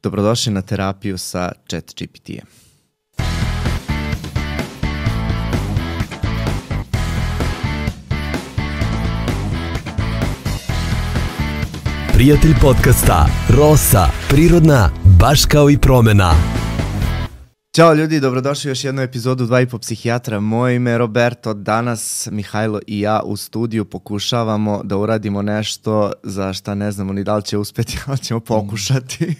Dobrodošli na terapiju sa ChatGPT-em. Prijatelj podcasta Rosa, prirodna, baš kao i promena. Ćao ljudi, dobrodošli u još jednu epizodu 2,5 psihijatra. Moje ime je Roberto. Danas Mihajlo i ja u studiju pokušavamo da uradimo nešto za šta ne znamo ni da li će uspjeti, ali ćemo pokušati.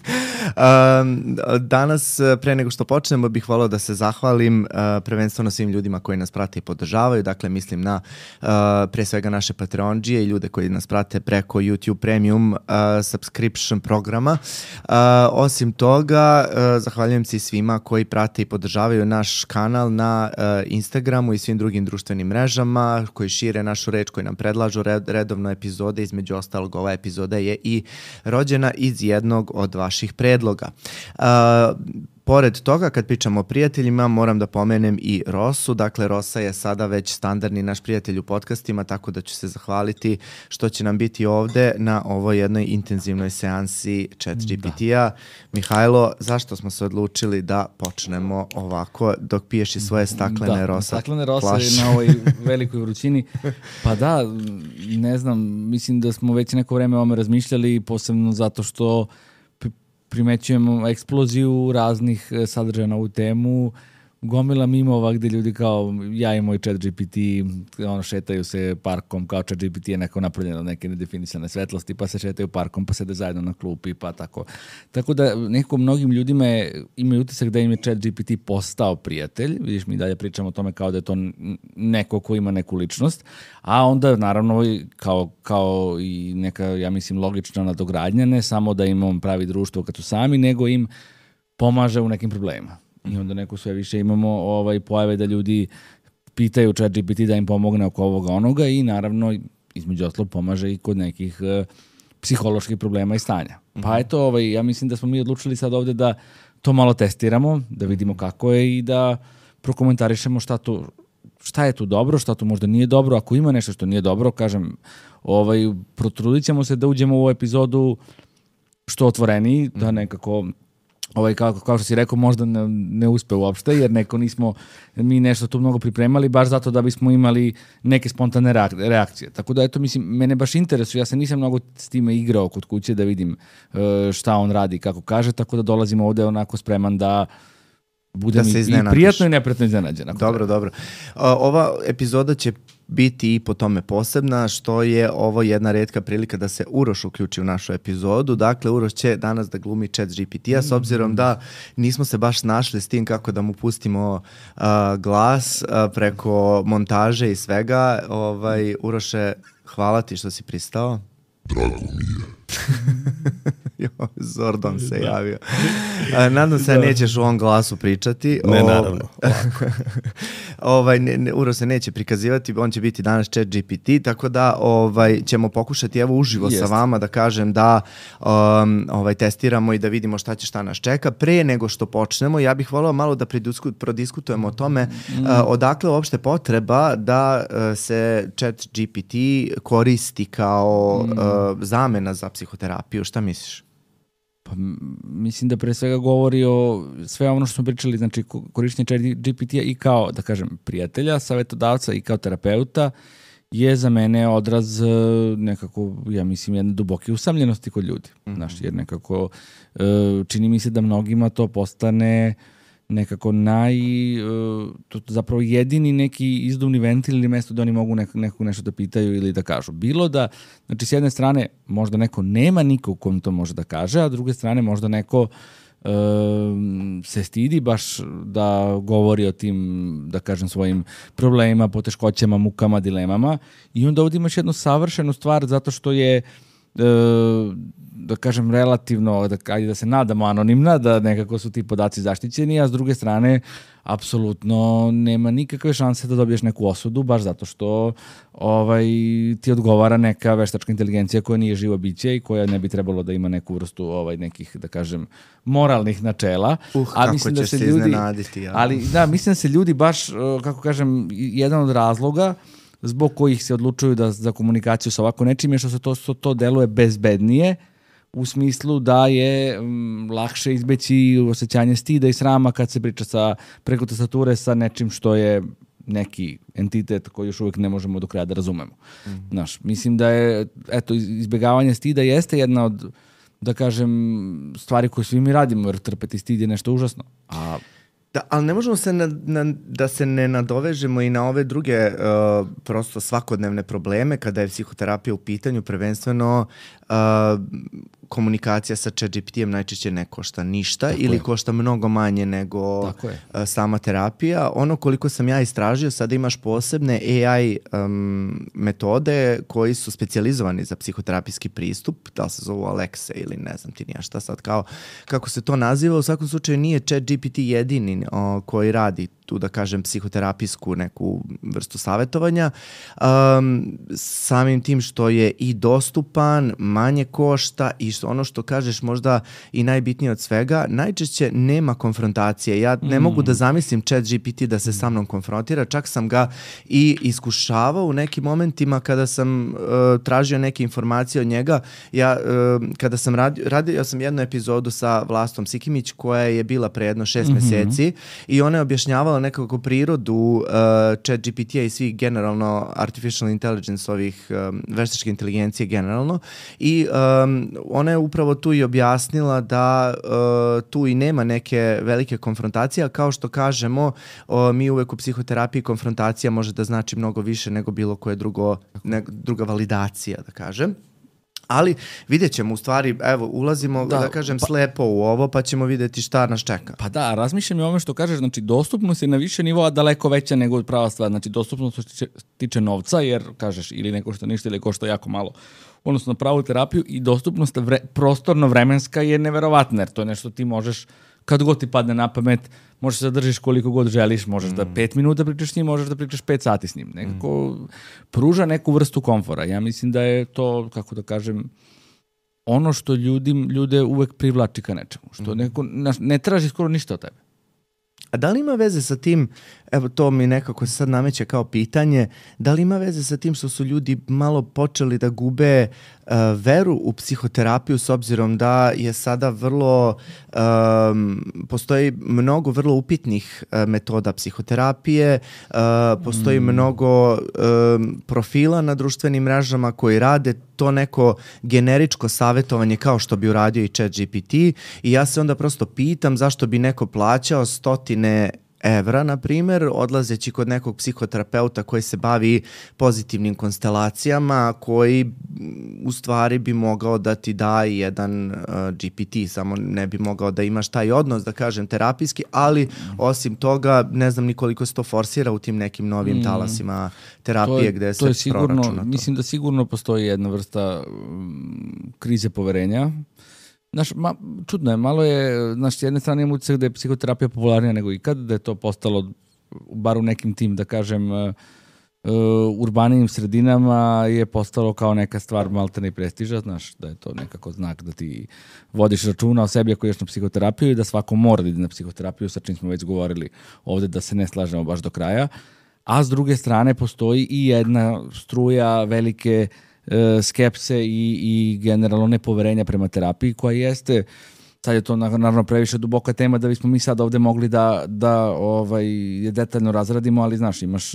Danas, pre nego što počnemo, bih volio da se zahvalim prvenstveno svim ljudima koji nas prate i podržavaju. Dakle, mislim na pre svega naše Patreondžije i ljude koji nas prate preko YouTube Premium subscription programa. Osim toga, zahvaljujem se i svima koji prate i podržavaju naš kanal na Instagramu i svim drugim društvenim mrežama, koji šire našu reč, koji nam predlažu redovno epizode. Između ostalog, ova epizoda je i rođena iz jednog od vaših predloga. Pored toga, kad pričamo o prijateljima, moram da pomenem i Rosu. Dakle, Rosa je sada već standardni naš prijatelj u podcastima, tako da ću se zahvaliti što će nam biti ovde na ovoj jednoj intenzivnoj seansi ChatGPT-a. Mihajlo, zašto smo se odlučili da počnemo ovako dok piješ i svoje staklene Rosa? Staklene Rose na ovoj velikoj vrućini. Pa da, ne znam, mislim da smo već neko vreme o ovome razmišljali, posebno zato što primećujemo eksploziju raznih sadržaja na ovu temu, gomila mimova gde ljudi kao ja i moj ChatGPT šetaju se parkom, kao ChatGPT je neko napravljeno od neke nedefinisane svetlosti, pa se šetaju parkom, pa sede zajedno na klupi, pa tako. Tako da nekako mnogim ljudima imaju utisak da im je ChatGPT postao prijatelj. Vidiš, mi dalje pričamo o tome kao da je to neko ko ima neku ličnost, a onda naravno kao i neka, ja mislim, logična nadogradnja, ne samo da im on pravi društvo kad su sami, nego im pomaže u nekim problemima. I onda neko sve više imamo pojave da ljudi pitaju ChatGPT da im pomogne oko ovoga onoga i naravno između ostalog pomaže i kod nekih psiholoških problema i stanja. Pa eto, ja mislim da smo mi odlučili sad ovde da to malo testiramo, da vidimo kako je i da prokomentarišemo šta je tu dobro, šta tu možda nije dobro. Ako ima nešto što nije dobro, kažem, protrudit ćemo se da uđemo u ovu epizodu što otvoreniji, da nekako kao što si rekao, možda ne uspe uopšte, jer nismo mi nešto tu mnogo pripremali, baš zato da bismo imali neke spontane reakcije. Tako da, eto, mislim, mene baš interesuje, ja se nisam mnogo s time igrao kod kuće da vidim šta on radi, kako kaže, tako da dolazim ovde onako spreman da budem i prijatno i neprijatno iznenađen. Dobro. Ova epizoda će biti i po tome posebna, što je ovo jedna retka prilika da se Uroš uključi u našu epizodu. Dakle, Uroš će danas da glumi ChatGPT-a, s obzirom da nismo se baš našli s tim kako da mu pustimo glas preko montaže i svega. Uroše, hvala ti što si pristao. Drago mi je. Zordon se javio. Nadam se da nećeš u ovom glasu pričati. Ne, naravno. Uro se neće prikazivati, on će biti danas ChatGPT, tako da ćemo pokušati evo uživo sa vama da kažem da testiramo i da vidimo šta nas čeka. Pre nego što počnemo, ja bih volao malo da prodiskutujemo o tome odakle uopšte potreba da se ChatGPT koristi kao zamena za psihoterapiju. Šta misliš? Pa, mislim da pre svega govori o sve ono što smo pričali, znači korištenje ChatGPT-a i kao, da kažem, prijatelja, savjetodavca i kao terapeuta je za mene odraz nekako, ja mislim, jedne duboke usamljenosti kod ljudi. Znaš, jer nekako čini mi se da mnogima to postane nekako zapravo jedini neki izduvni ventil ili mesto da oni mogu nešto da pitaju ili da kažu. Bilo da, znači s jedne strane možda neko nema nikog kom to može da kaže, a s druge strane možda neko se stidi baš da govori o tim, da kažem, svojim problemima, poteškoćama, mukama, dilemama i onda ovdje imaš jednu savršenu stvar zato što je da kažem relativno, da se nadamo anonimna, da nekako su ti podaci zaštićeni, a s druge strane apsolutno nema nikakve šanse da dobiješ neku osudu, baš zato što ti odgovara neka veštačka inteligencija koja nije živo biće i koja ne bi trebalo da ima neku vrstu nekih, da kažem, moralnih načela. A mislim da se ljudi iznenaditi. Ja. Ali da, mislim da se ljudi baš, kako kažem, jedan od razloga zbog kojih se odlučuju da za komunikaciju sa ovako nečim je što to deluje bezbednije, u smislu da je lakše izbeći osjećanje stida i srama kad se priča preko tastature sa nečim što je neki entitet koji još uvijek ne možemo do kraja da razumemo. Znaš, mislim da je, izbjegavanje stida jeste jedna od, da kažem, stvari koje svi mi radimo, jer trpeti stid je nešto užasno. Da, ali ne možemo da se ne nadovežemo i na ove druge prosto svakodnevne probleme kada je psihoterapija u pitanju, prvenstveno komunikacija sa ChatGPT-em najčešće ne košta ništa ili košta mnogo manje nego sama terapija. Ono koliko sam ja istražio, sada imaš posebne AI metode koji su specijalizovani za psihoterapijski pristup, da li se zovu Alexa ili ne znam ti nija šta sad, kako se to naziva. U svakom slučaju nije ChatGPT jedini koji radi tu, da kažem, psihoterapijsku neku vrstu savjetovanja. Samim tim što je i dostupan, manje košta i ono što kažeš možda i najbitnije od svega, najčešće nema konfrontacije. Ja ne mogu da zamislim ChatGPT da se sa mnom konfrontira, čak sam ga i iskušavao u nekim momentima kada sam tražio neke informacije od njega. Kada sam radio sam jednu epizodu sa Vlastom Sikimić koja je bila pre jedno 6 mjeseci i ona je objašnjavala nekako prirodu ChatGPT-a i svih generalno artificial intelligence, ovih veštačke inteligencije generalno, i ona je upravo tu i objasnila da tu i nema neke velike konfrontacije, a kao što kažemo, mi uvek u psihoterapiji konfrontacija može da znači mnogo više nego bilo koje druga validacija, da kažem. Ali vidjet ćemo, u stvari, evo, ulazimo, da kažem, slepo u ovo, pa ćemo vidjeti šta nas čeka. Pa da, razmišljam i o ovome što kažeš, znači dostupnost je na više nivoa daleko veća nego prava stvar. Znači dostupnost što tiče novca, jer kažeš ili ne košta ništa ili košta jako malo, odnosno na pravu terapiju, i dostupnost prostorno-vremenska je neverovatna, jer to je nešto ti možeš, kad god ti padne na pamet, možeš da držiš koliko god želiš, možeš da 5 minuta pričaš s njim, možeš da pričaš 5 sati s njim. Nekako pruža neku vrstu komfora. Ja mislim da je to, kako da kažem, ono što ljude uvek privlači ka nečemu. Što ne traži skoro ništa od tebe. A da li ima veze sa tim, evo to mi nekako sad nameće kao pitanje, da li ima veze sa tim što su ljudi malo počeli da gube veru u psihoterapiju, s obzirom da je sada postoji mnogo vrlo upitnih metoda psihoterapije, postoji mnogo profila na društvenim mrežama koji rade to neko generičko savjetovanje kao što bi uradio i ChatGPT, i ja se onda prosto pitam zašto bi neko plaćao €100, na primjer, odlazeći kod nekog psihoterapeuta koji se bavi pozitivnim konstelacijama, koji u stvari bi mogao da ti da jedan GPT, samo ne bi mogao da imaš taj odnos, da kažem, terapijski, ali osim toga ne znam ni koliko se to forsira u tim nekim novim talasima terapije gde se proračuna to. Mislim da sigurno postoji jedna vrsta krize poverenja. Znaš, čudno je, malo je, znaš, s jedne strane imam utisak da je psihoterapija popularnija nego ikad, da je to postalo, bar u nekim tim, da kažem, urbanijim sredinama je postalo kao neka stvar maltene i prestiža, znaš, da je to nekako znak da ti vodiš računa o sebi ako ješ na psihoterapiju i da svako mora da ide na psihoterapiju, sa čim smo već govorili ovdje da se ne slažemo baš do kraja, a s druge strane postoji i jedna struja velike skepse i generalno nepoverenja prema terapiji, koja jeste, sad je to naravno previše duboka tema da bismo mi sad ovdje mogli da je detaljno razradimo, ali znaš, imaš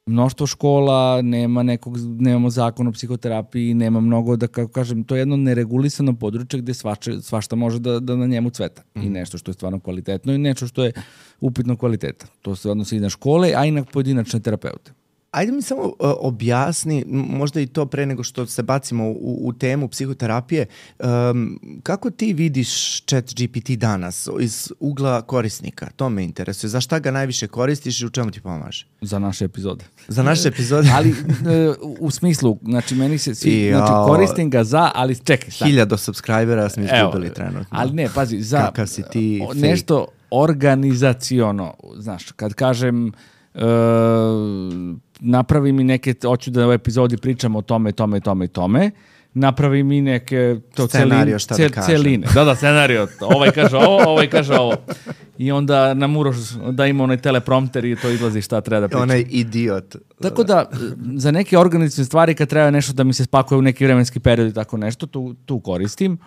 mnoštvo škola, nemamo zakon o psihoterapiji, nema mnogo, da kako kažem, to je jedno neregulisano područje gdje svašta može da na njemu cveta. I nešto što je stvarno kvalitetno i nešto što je upitno kvaliteta. To se odnosi i na škole, a i na pojedinačne terapeute. Ajde mi samo objasni, možda i to pre nego što se bacimo u temu psihoterapije, kako ti vidiš ChatGPT danas iz ugla korisnika? To me interesuje. Za šta ga najviše koristiš i u čemu ti pomaže? Za naše epizode. Za naše epizode? Ali u smislu, znači meni se znači koristim ga ali čekaj. 1000 subscribera smo izgubili trenutno. Ali ne, pazi, za kakav si ti nešto organizaciono, znaš, kad kažem napravi mi neke, hoću da u epizodi pričam o tome, napravi mi neke scenario, šta da kažem. Celine. Da, scenario. Ovaj kaže ovo. i onda nam Uroš da ima onaj teleprompter i to izlazi šta treba da priča. Onaj idiot. Tako da, za neke organizacione stvari kad treba nešto da mi se spakuje u neki vremenski period i tako nešto, tu koristim.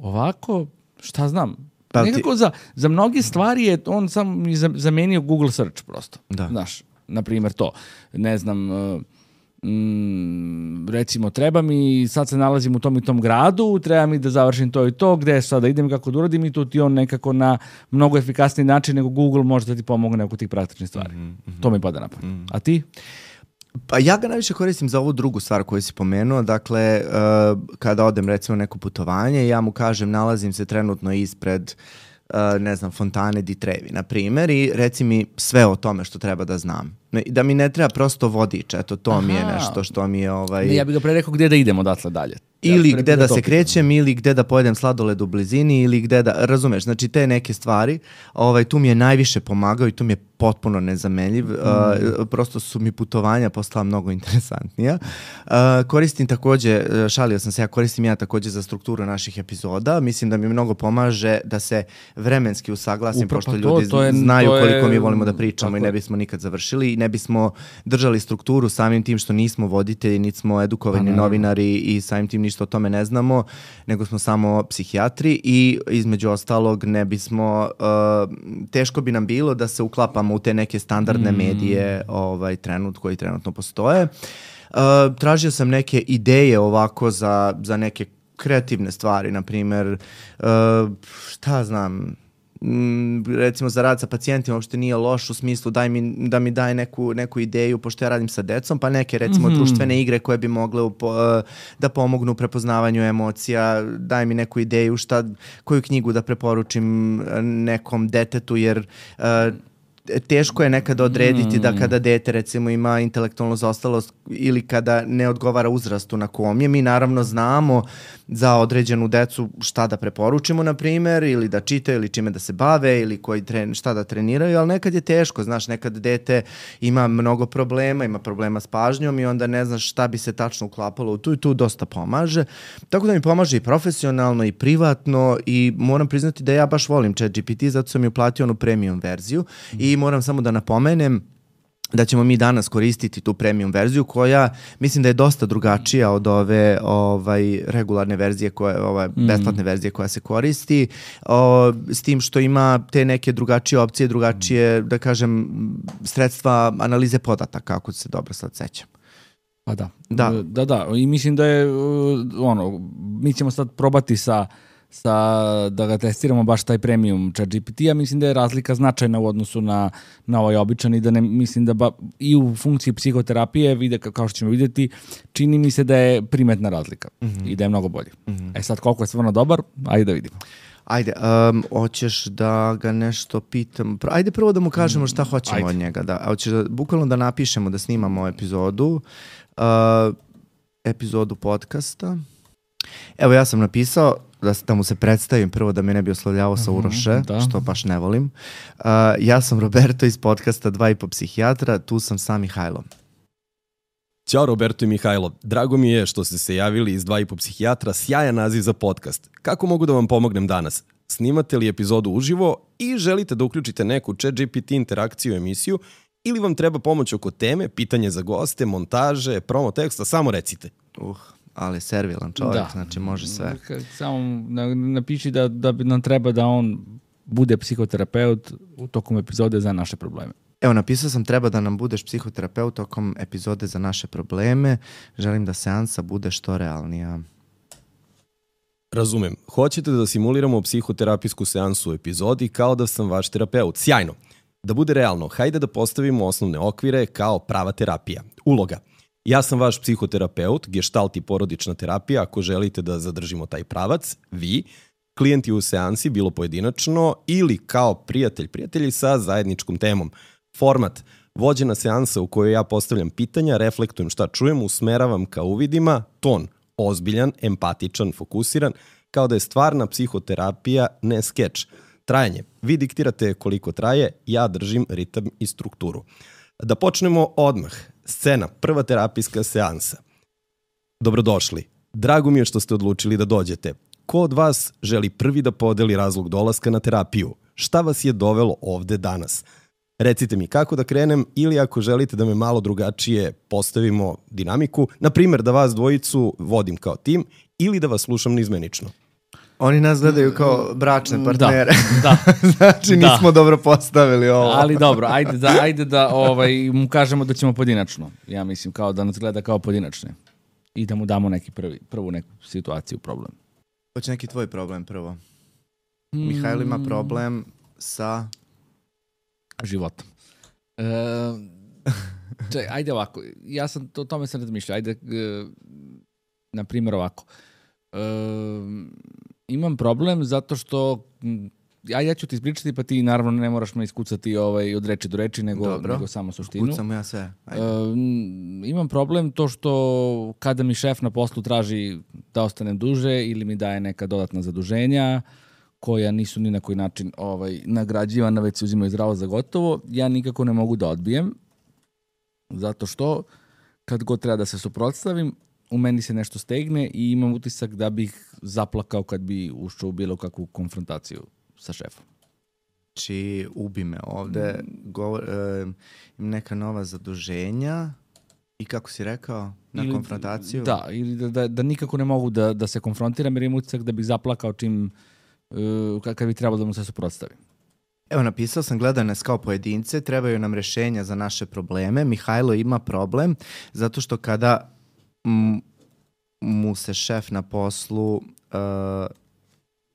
Ovako, šta znam, nekako za mnogi stvari je on sam zamenio Google search prosto. Da. Znaš, na primjer to. Ne znam, recimo treba mi, sad se nalazim u tom i tom gradu, treba mi da završim to i to, gde sada idem, kako da uradim i tu ti on nekako na mnogo efikasniji način nego Google može da ti pomogne oko tih praktičnih stvari. To mi pada na pamet. A ti? Pa ja ga najviše koristim za ovu drugu stvar koju si pomenuo, dakle kada odem recimo neko putovanje, ja mu kažem nalazim se trenutno ispred ne znam, fontane di Trevi, na primjer, i reci mi sve o tome što treba da znam. Da mi ne treba prosto vodič, eto, to mi je nešto što mi je... Ne, ja bih ga pre rekao gde da idemo odatle dalje. Ili gde da se krećem, ili gde da pojedem sladoled u blizini, ili gde da, razumeš, znači te neke stvari, tu mi je najviše pomagao i tu mi je potpuno nezamenljiv, prosto su mi putovanja postala mnogo interesantnija. Koristim takođe, šalio sam se, koristim ja takođe za strukturu naših epizoda, mislim da mi mnogo pomaže da se vremenski usaglasim, pošto ljudi znaju koliko mi volimo da pričamo i ne bismo nikad završili i ne bismo držali strukturu samim tim što nismo voditelji, niti smo edukovani novinari i samim tim ništa o tome ne znamo, nego smo samo psihijatri i između ostalog ne bismo, teško bi nam bilo da se uklapamo u te neke standardne medije koji trenutno postoje. Tražio sam neke ideje ovako za neke kreativne stvari, na primjer, šta znam, recimo za rad sa pacijentima uopšte nije loš u smislu da mi daje neku ideju, pošto ja radim sa decom, pa neke recimo društvene igre koje bi mogle da pomognu u prepoznavanju emocija, daj mi neku ideju koju knjigu da preporučim nekom detetu, jer teško je nekada odrediti da kada dete recimo ima intelektualnu zaostalost ili kada ne odgovara uzrastu na kom je. Mi naravno znamo za određenu decu šta da preporučimo, na primjer, ili da čitaju, ili čime da se bave, ili šta da treniraju, ali nekad je teško, znaš, nekad dete ima mnogo problema, ima problema s pažnjom i onda ne znaš šta bi se tačno uklapalo u tu i tu dosta pomaže. Tako da mi pomaže i profesionalno i privatno i moram priznati da ja baš volim ChatGPT, zato sam mi uplatio onu premium verziju i moram samo da napomenem da ćemo mi danas koristiti tu premium verziju koja mislim da je dosta drugačija od ove regularne verzije, besplatne verzije koja se koristi, s tim što ima te neke drugačije opcije, drugačije, da kažem, sredstva analize podataka, ako se dobro sad sećam. Pa da. I mislim da je mi ćemo sad probati da ga testiramo baš taj premium ChatGPT, ja mislim da je razlika značajna u odnosu na ovaj običan i da ne mislim da i u funkciji psihoterapije, kao što ćemo vidjeti, čini mi se da je primetna razlika i da je mnogo bolji. Sad koliko je stvarno dobar, ajde da vidimo. Ajde, hoćeš da ga nešto pitam? Ajde prvo da mu kažemo šta hoćemo od njega. Hoćeš bukvalno da napišemo da snimamo epizodu podcasta. Evo ja sam napisao da mu se predstavim prvo, da me ne bi oslovljavao sa Uroše, što baš ne volim. Ja sam Roberto iz podcasta 2,5 psihijatra, tu sam sa Mihajlom. Ćao Roberto i Mihajlo, drago mi je što ste se javili iz 2,5 psihijatra, sjajan naziv za podcast. Kako mogu da vam pomognem danas? Snimate li epizodu uživo i želite da uključite neku ChatGPT interakciju u emisiju ili vam treba pomoć oko teme, pitanje za goste, montaže, promo teksta, samo recite. Ali servilan čovjek, znači može sve. Samo napiši da nam treba da on bude psihoterapeut u tokom epizode za naše probleme. Evo, napisao sam treba da nam budeš psihoterapeut tokom epizode za naše probleme. Želim da seansa bude što realnija. Razumem. Hoćete da simuliramo psihoterapijsku seansu u epizodi kao da sam vaš terapeut. Sjajno. Da bude realno, hajde da postavimo osnovne okvire kao prava terapija. Uloga. Ja sam vaš psihoterapeut, gestalt i porodična terapija, ako želite da zadržimo taj pravac, vi, klijenti u seansi, bilo pojedinačno ili kao prijatelji sa zajedničkom temom. Format, vođena seansa u kojoj ja postavljam pitanja, reflektujem šta čujem, usmeravam ka uvidima, ton, ozbiljan, empatičan, fokusiran, kao da je stvarna psihoterapija, ne skeč. Trajanje, vi diktirate koliko traje, ja držim ritam i strukturu. Da počnemo odmah. Scena, prva terapijska seansa. Dobrodošli. Drago mi je što ste odlučili da dođete. Ko od vas želi prvi da podeli razlog dolaska na terapiju? Šta vas je dovelo ovde danas? Recite mi kako da krenem ili ako želite da me malo drugačije postavimo dinamiku, na primjer da vas dvojicu vodim kao tim ili da vas slušam nizmenično. Oni nas gledaju kao bračne partnere. Da. Znači nismo dobro postavili ovo. Ali dobro, ajde da mu kažemo da ćemo pojedinačno. Ja mislim kao da nas gleda kao pojedinačne. I da mu damo neki prvu neku situaciju, problem. Hoće neki tvoj problem prvo. Mihajlo ima problem sa životom. Ajde ovako, ja sam o tome sam razmišljao. Ajde, na primjer ovako. Imam problem zato što ja ću ti ispričati, pa ti naravno ne moraš me iskucati od reči do reči, nego samo suštinu. Kucam ja sve. Imam problem to što kada mi šef na poslu traži da ostanem duže ili mi daje neka dodatna zaduženja koja nisu ni na koji način nagrađivana, već se uzimaju zdravo za gotovo, ja nikako ne mogu da odbijem, zato što kad god treba da se suprotstavim, u meni se nešto stegne i imam utisak da bih zaplakao kad bi ušao u bilo kakvu konfrontaciju sa šefom. Znači, ubi me ovde, im neka nova zaduženja i kako si rekao, na konfrontaciju? Da, ili da nikako ne mogu da se konfrontiram jer imam utisak da bih zaplakao čim kad bi trebalo da mu se suprotstavim. Evo, napisao sam, gledaj nas kao pojedince, trebaju nam rešenja za naše probleme. Mihajlo ima problem zato što kada mu se šef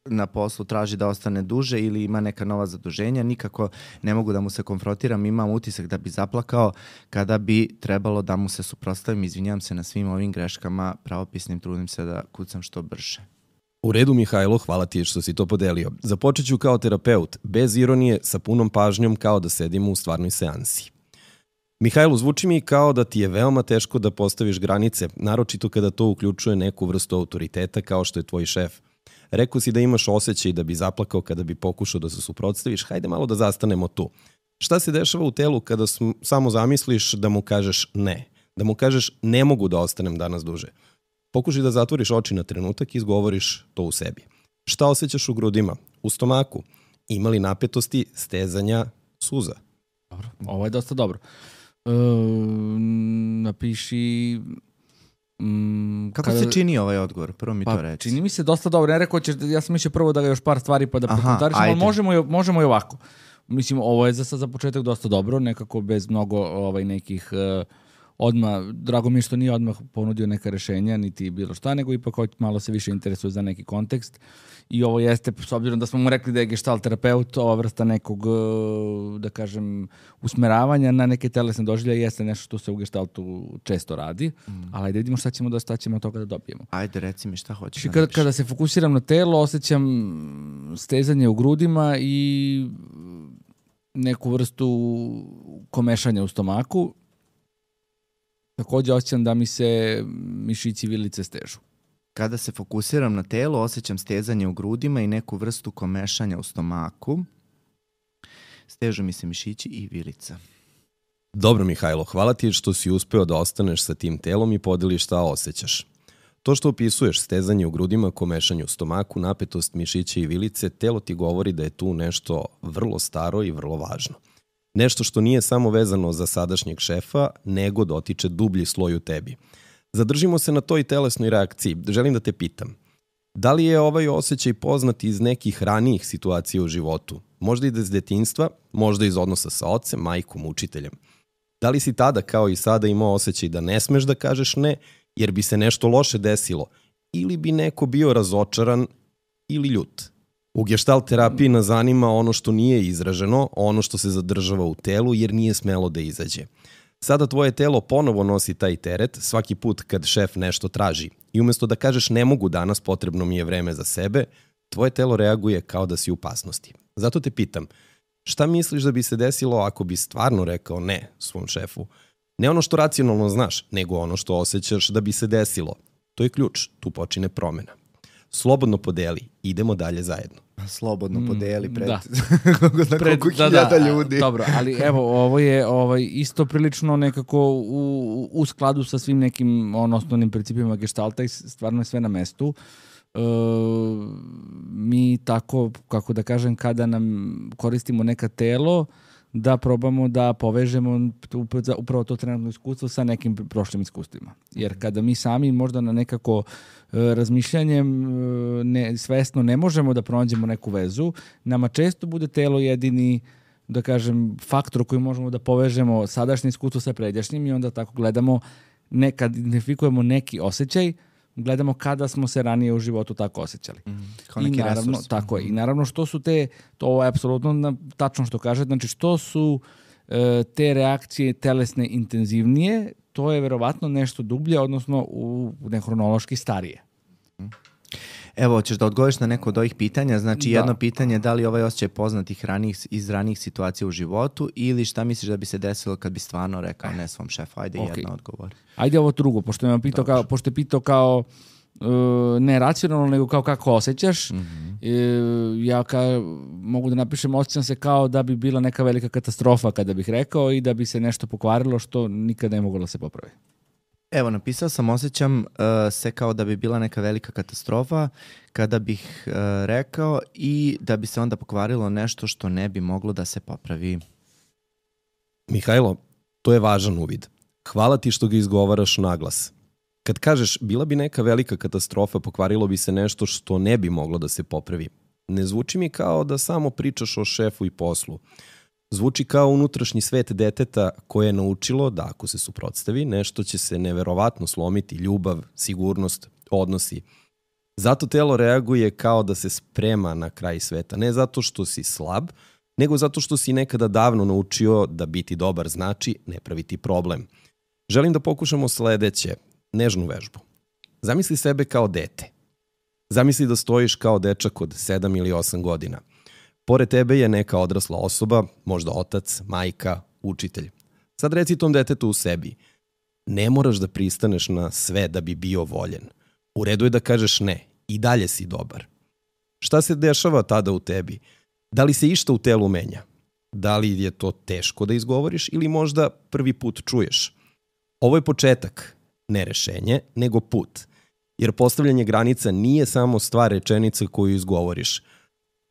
na poslu traži da ostane duže ili ima neka nova zaduženja, nikako ne mogu da mu se konfrontiram, imam utisak da bi zaplakao kada bi trebalo da mu se suprotstavim. Izvinjam se na svim ovim greškama pravopisnim, trudim se da kucam što brže. U redu, Mihajlo, hvala ti što si to podelio. Započet ću kao terapeut, bez ironije, sa punom pažnjom, kao da sedimo u stvarnoj seansi. Mihajlo, zvuči mi kao da ti je veoma teško da postaviš granice, naročito kada to uključuje neku vrstu autoriteta kao što je tvoj šef. Rekao si da imaš osjećaj da bi zaplakao kada bi pokušao da se suprotstaviš. Hajde malo da zastanemo tu. Šta se dešava u telu kada samo zamisliš da mu kažeš ne? Da mu kažeš ne mogu da ostanem danas duže. Pokušaj da zatvoriš oči na trenutak i izgovoriš to u sebi. Šta osjećaš u grudima? U stomaku? Ima li napetosti, stezanja, suza? Dobro, ovo je dosta dobro. Napiši... Kako se čini ovaj odgovor? Prvo mi to reći. Čini mi se dosta dobro. Ne rekao ćeš, ja sam mislio prvo da ga još par stvari pa da prokomentarišem, ali možemo i ovako. Mislim, ovo je za početak dosta dobro, nekako bez mnogo nekih... odmah, drago mi je što nije odmah ponudio neka rešenja, niti bilo šta, nego ipak malo se više interesuje za neki kontekst. I ovo jeste, s obzirom da smo mu rekli da je gestalt terapeut, ova vrsta nekog, da kažem, usmeravanja na neke telesne doživljaje jeste nešto što se u gestaltu često radi, ali ajde vidimo šta ćemo od toga da dobijemo. Ajde, reci mi šta hoćeš. Kada se fokusiram na telo, osjećam stezanje u grudima i neku vrstu komešanja u stomaku. Također osjećam da mi se mišići vilice stežu. Kada se fokusiram na telo, osjećam stezanje u grudima i neku vrstu komešanja u stomaku. Stežu mi se mišići i vilica. Dobro, Mihajlo, hvala ti što si uspeo da ostaneš sa tim telom i podeliš šta osjećaš. To što opisuješ, stezanje u grudima, komešanje u stomaku, napetost mišića i vilice, telo ti govori da je tu nešto vrlo staro i vrlo važno. Nešto što nije samo vezano za sadašnjeg šefa, nego dotiče dublji sloj u tebi. Zadržimo se na toj telesnoj reakciji. Želim da te pitam, da li je ovaj osjećaj poznat iz nekih ranijih situacija u životu? Možda i iz detinjstva, možda iz odnosa sa ocem, majkom, učiteljem. Da li si tada kao i sada imao osjećaj da ne smeš da kažeš ne, jer bi se nešto loše desilo, ili bi neko bio razočaran ili ljut? U gestalt terapiji nas zanima ono što nije izraženo, ono što se zadržava u telu jer nije smelo da izađe. Sada tvoje telo ponovo nosi taj teret svaki put kad šef nešto traži i umjesto da kažeš ne mogu danas, potrebno mi je vreme za sebe, tvoje telo reaguje kao da si u opasnosti. Zato te pitam, šta misliš da bi se desilo ako bi stvarno rekao ne svom šefu? Ne ono što racionalno znaš, nego ono što osjećaš da bi se desilo. To je ključ, tu počine promena. Slobodno podeli, idemo dalje zajedno. Slobodno podeli pred koliko hiljada ljudi. Dobro, ali evo, ovo je isto prilično nekako u skladu sa svim nekim osnovnim principima gestalta i stvarno je sve na mestu. mi tako, kako da kažem, kada nam koristimo neka telo, da probamo da povežemo upravo to trenutno iskustvo sa nekim prošlim iskustvima. Jer kada mi sami možda na nekako razmišljanjem svesno ne možemo da pronađemo neku vezu, nama često bude telo jedini, da kažem, faktor koji možemo da povežemo sadašnje iskustvo sa pređašnjim i onda tako gledamo, kad identifikujemo neki osjećaj, gledamo kada smo se ranije u životu tako osjećali. Kao neki naravno, resurs. Tako je. I naravno što su to je apsolutno tačno što kaže, znači što su te reakcije telesne intenzivnije, to je verovatno nešto dublje, odnosno nehronološki starije. Evo, hoćeš da odgovoriš na neko od ovih pitanja? Znači, jedno pitanje je da li ovaj osjećaj poznat iz ranijih situacija u životu ili šta misliš da bi se desilo kad bi stvarno rekao ne svom šefu? Ajde, jedno odgovor. Ajde ovo drugo, pošto je pitao kao ne racionalno, nego kao kako osjećaš. Ja mogu da napišem, osjećam se kao da bi bila neka velika katastrofa kada bih rekao i da bi se nešto pokvarilo što nikad ne moglo da se popravi. Evo, napisao sam, osjećam se kao da bi bila neka velika katastrofa kada bih rekao i da bi se onda pokvarilo nešto što ne bi moglo da se popravi. Mihajlo, to je važan uvid. Hvala ti što ga izgovaraš naglas. Kad kažeš bila bi neka velika katastrofa, pokvarilo bi se nešto što ne bi moglo da se popravi. Ne zvuči mi kao da samo pričaš o šefu i poslu. Zvuči kao unutrašnji svet deteta koje je naučilo da ako se suprotstavi, nešto će se neverovatno slomiti, ljubav, sigurnost, odnosi. Zato telo reaguje kao da se sprema na kraj sveta. Ne zato što si slab, nego zato što si nekada davno naučio da biti dobar znači ne praviti problem. Želim da pokušamo sledeće, nežnu vežbu. Zamisli sebe kao dete. Zamisli da stojiš kao dečak od 7 ili 8 godina. Pored tebe je neka odrasla osoba, možda otac, majka, učitelj. Sad reci tom detetu u sebi, ne moraš da pristaneš na sve da bi bio voljen. U redu je da kažeš ne, i dalje si dobar. Šta se dešava tada u tebi? Da li se išta u telu menja? Da li je to teško da izgovoriš ili možda prvi put čuješ? Ovo je početak, ne rešenje, nego put. Jer postavljanje granica nije samo stvar rečenice koju izgovoriš.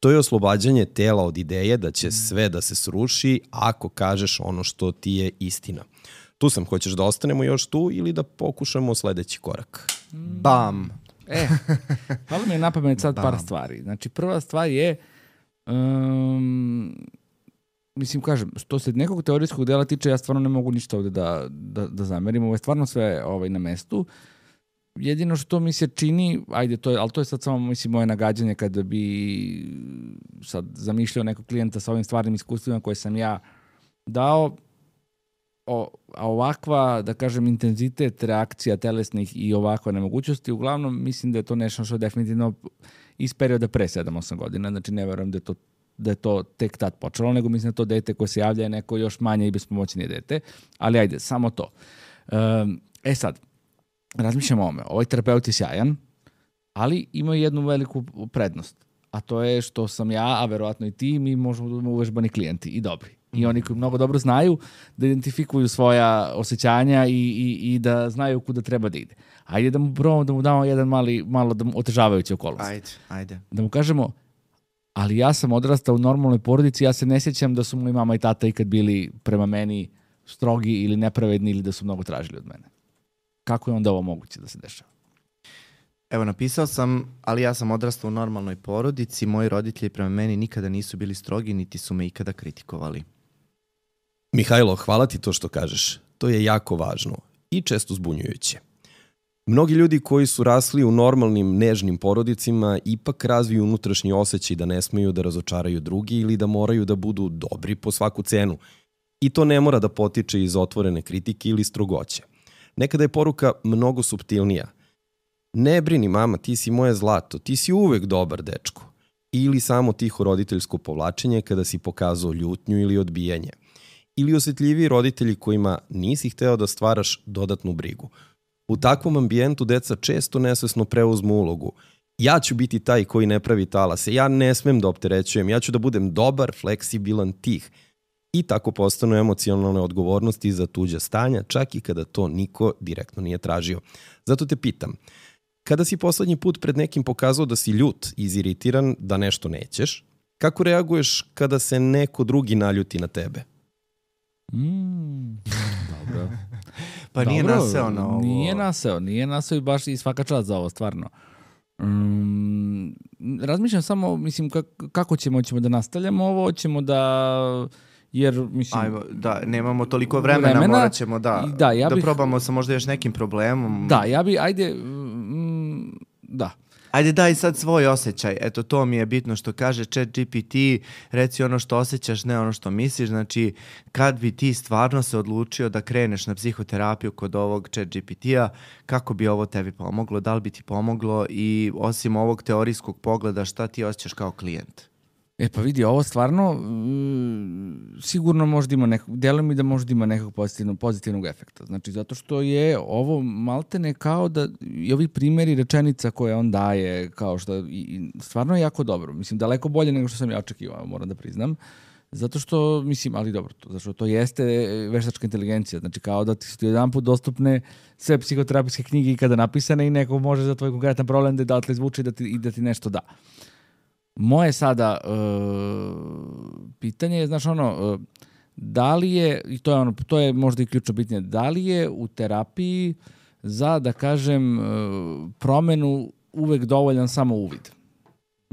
To je oslobađanje tela od ideje da će sve da se sruši ako kažeš ono što ti je istina. Tu sam, hoćeš da ostanemo još tu ili da pokušamo sledeći korak? Bam! Hvala mi je na pamet sad par stvari. Znači, prva stvar je, mislim, kažem, što se nekog teorijskog dela tiče, ja stvarno ne mogu ništa ovde da zamerim. Ovo je stvarno sve na mestu. Jedino što mi se čini, ali to je sad samo, mislim, moje nagađanje kada bi sad zamišljao nekog klijenta sa ovim stvarnim iskustvima koje sam ja dao, a ovakva, da kažem, intenzitet reakcija telesnih i ovakva nemogućnosti, uglavnom mislim da je to nešto što je definitivno iz perioda pre 7-8 godina, znači ne verujem da je to tek tad počelo, nego mislim da to dete koje se javlja je neko još manje i bespomoćnije dete, ali ajde, samo to. Sad, razmišljam o ovome. Ovaj terapeut je sjajan, ali ima jednu veliku prednost. A to je što sam ja, a verovatno i ti, mi možemo da budemo uvežbani klijenti i dobri. I oni koji mnogo dobro znaju da identifikuju svoja osjećanja i da znaju kuda treba da ide. Ajde da mu probamo da mu damo jedan malo otežavajući okolnost. Ajde. Da mu kažemo, ali ja sam odrastao u normalnoj porodici, ja se ne sjećam da su moji mama i tata ikad bili prema meni strogi ili nepravedni ili da su mnogo tražili od mene. Kako je onda ovo moguće da se dešava? Evo, napisao sam, ali ja sam odrastao u normalnoj porodici, moji roditelji prema meni nikada nisu bili strogi, niti su me ikada kritikovali. Mihajlo, hvala ti to što kažeš. To je jako važno i često zbunjujuće. Mnogi ljudi koji su rasli u normalnim, nežnim porodicima ipak razviju unutrašnji osjećaj da ne smeju da razočaraju drugi ili da moraju da budu dobri po svaku cenu. I to ne mora da potiče iz otvorene kritike ili strogoće. Nekada je poruka mnogo suptilnija. Ne brini mama, ti si moje zlato, ti si uvek dobar dečko. Ili samo tiho roditeljsko povlačenje kada si pokazao ljutnju ili odbijanje. Ili osjetljiviji roditelji kojima nisi hteo da stvaraš dodatnu brigu. U takvom ambijentu deca često nesvesno preuzmu ulogu. Ja ću biti taj koji ne pravi talase, ja ne smem da opterećujem, ja ću da budem dobar, fleksibilan, tih. I tako postanu emocionalne odgovornosti za tuđa stanja, čak i kada to niko direktno nije tražio. Zato te pitam, Kada si poslednji put pred nekim pokazao da si ljut, iziritiran, da nešto nećeš, kako reaguješ kada se neko drugi naljuti na tebe? Dobro. Pa nije Dobro, naseo na ovo. Nije naseo i baš i svaka čast za ovo, stvarno. Razmišljam samo, mislim, kako ćemo da nastavljamo ovo, hoćemo da... Jer, mislim... Ajmo, da, nemamo toliko vremena, morat ćemo da probamo sa možda još nekim problemom. Da, da. Ajde daj sad svoj osjećaj, eto to mi je bitno što kaže ChatGPT, reci ono što osjećaš, ne ono što misliš, znači kad bi ti stvarno se odlučio da kreneš na psihoterapiju kod ovog ChatGPT-a, kako bi ovo tebi pomoglo, da li bi ti pomoglo i osim ovog teorijskog pogleda šta ti osjećaš kao klijent? Pa vidi, ovo stvarno sigurno možda ima djeluje mi da možda ima nekog pozitivnog efekta. Znači, zato što je ovo maltene kao da i ovi primjeri rečenica koje on daje, kao što i stvarno je jako dobro. Mislim, daleko bolje nego što sam ja očekivao, moram da priznam. Zato što, mislim, ali dobro, zato što to jeste veštačka inteligencija. Znači, kao da ti su jedan put dostupne sve psihoterapijske knjige ikada napisane i neko može za tvoj konkretan problem da odatle izvuče i da ti nešto da. Moje sada pitanje je, znaš da li je, i to je možda i ključno pitanje, da li je u terapiji za, da kažem, promenu uvek dovoljan samo uvid?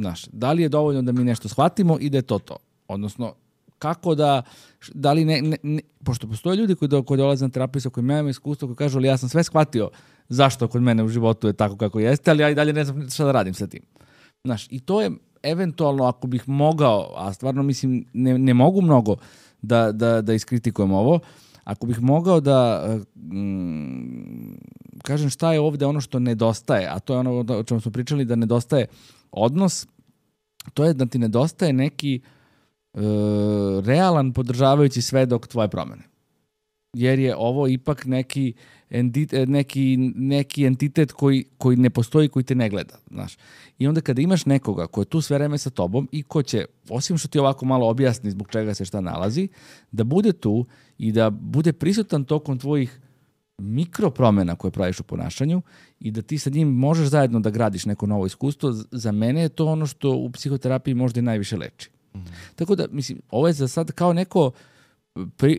Znaš, da li je dovoljno da mi nešto shvatimo i da je to? Odnosno, kako da li pošto postoje ljudi koji dolaze na terapiju koji imaju iskustvo, koji kažu, ali ja sam sve shvatio zašto kod mene u životu je tako kako jeste, ali ja i dalje ne znam šta da radim sa tim. Znaš, i to je eventualno ako bih mogao, a stvarno mislim ne mogu mnogo da iskritikujem ovo, ako bih mogao da kažem šta je ovdje ono što nedostaje, a to je ono o čemu smo pričali, da nedostaje odnos, to je da ti nedostaje neki realan podržavajući svedok tvoje promene. Jer je ovo ipak neki entitet koji ne postoji, koji te ne gleda. Znaš. I onda kada imaš nekoga ko je tu sve vreme sa tobom i ko će, osim što ti ovako malo objasni zbog čega se šta nalazi, da bude tu i da bude prisutan tokom tvojih mikropromena koje praviš u ponašanju i da ti sa njim možeš zajedno da gradiš neko novo iskustvo, za mene je to ono što u psihoterapiji možda i najviše leči. Tako da, mislim, ovo je za sad kao neko,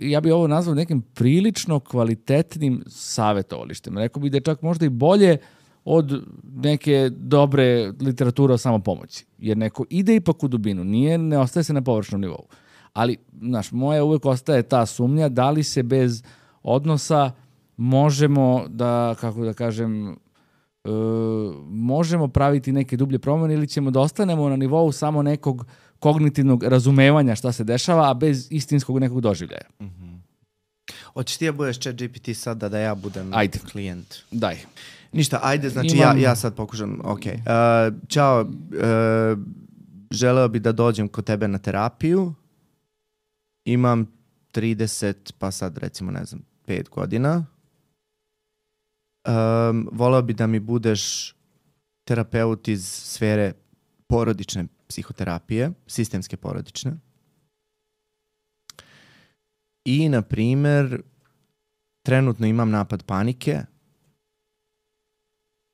ja bih ovo nazvao nekim prilično kvalitetnim savjetovalištem. Rekao bih da je čak možda i bolje od neke dobre literature o samopomoći. Jer neko ide ipak u dubinu, ne ostaje se na površnom nivou. Ali, znaš, moja uvek ostaje ta sumnja da li se bez odnosa možemo da, kako da kažem, možemo praviti neke dublje promjene ili ćemo da ostanemo na nivou samo nekog kognitivnog razumevanja šta se dešava, a bez istinskog nekog doživljaja. Hoćeš ti da budeš ChatGPT sad da ja budem klijent? Daj. Ništa, ajde, znači ja sad pokušam. Okay. Ćao, želeo bi da dođem kod tebe na terapiju. Imam 30, pa sad recimo, 5 godina. Voleo bi da mi budeš terapeut iz sfere porodične psihoterapije, sistemske porodične. I, na primjer, trenutno imam napad panike,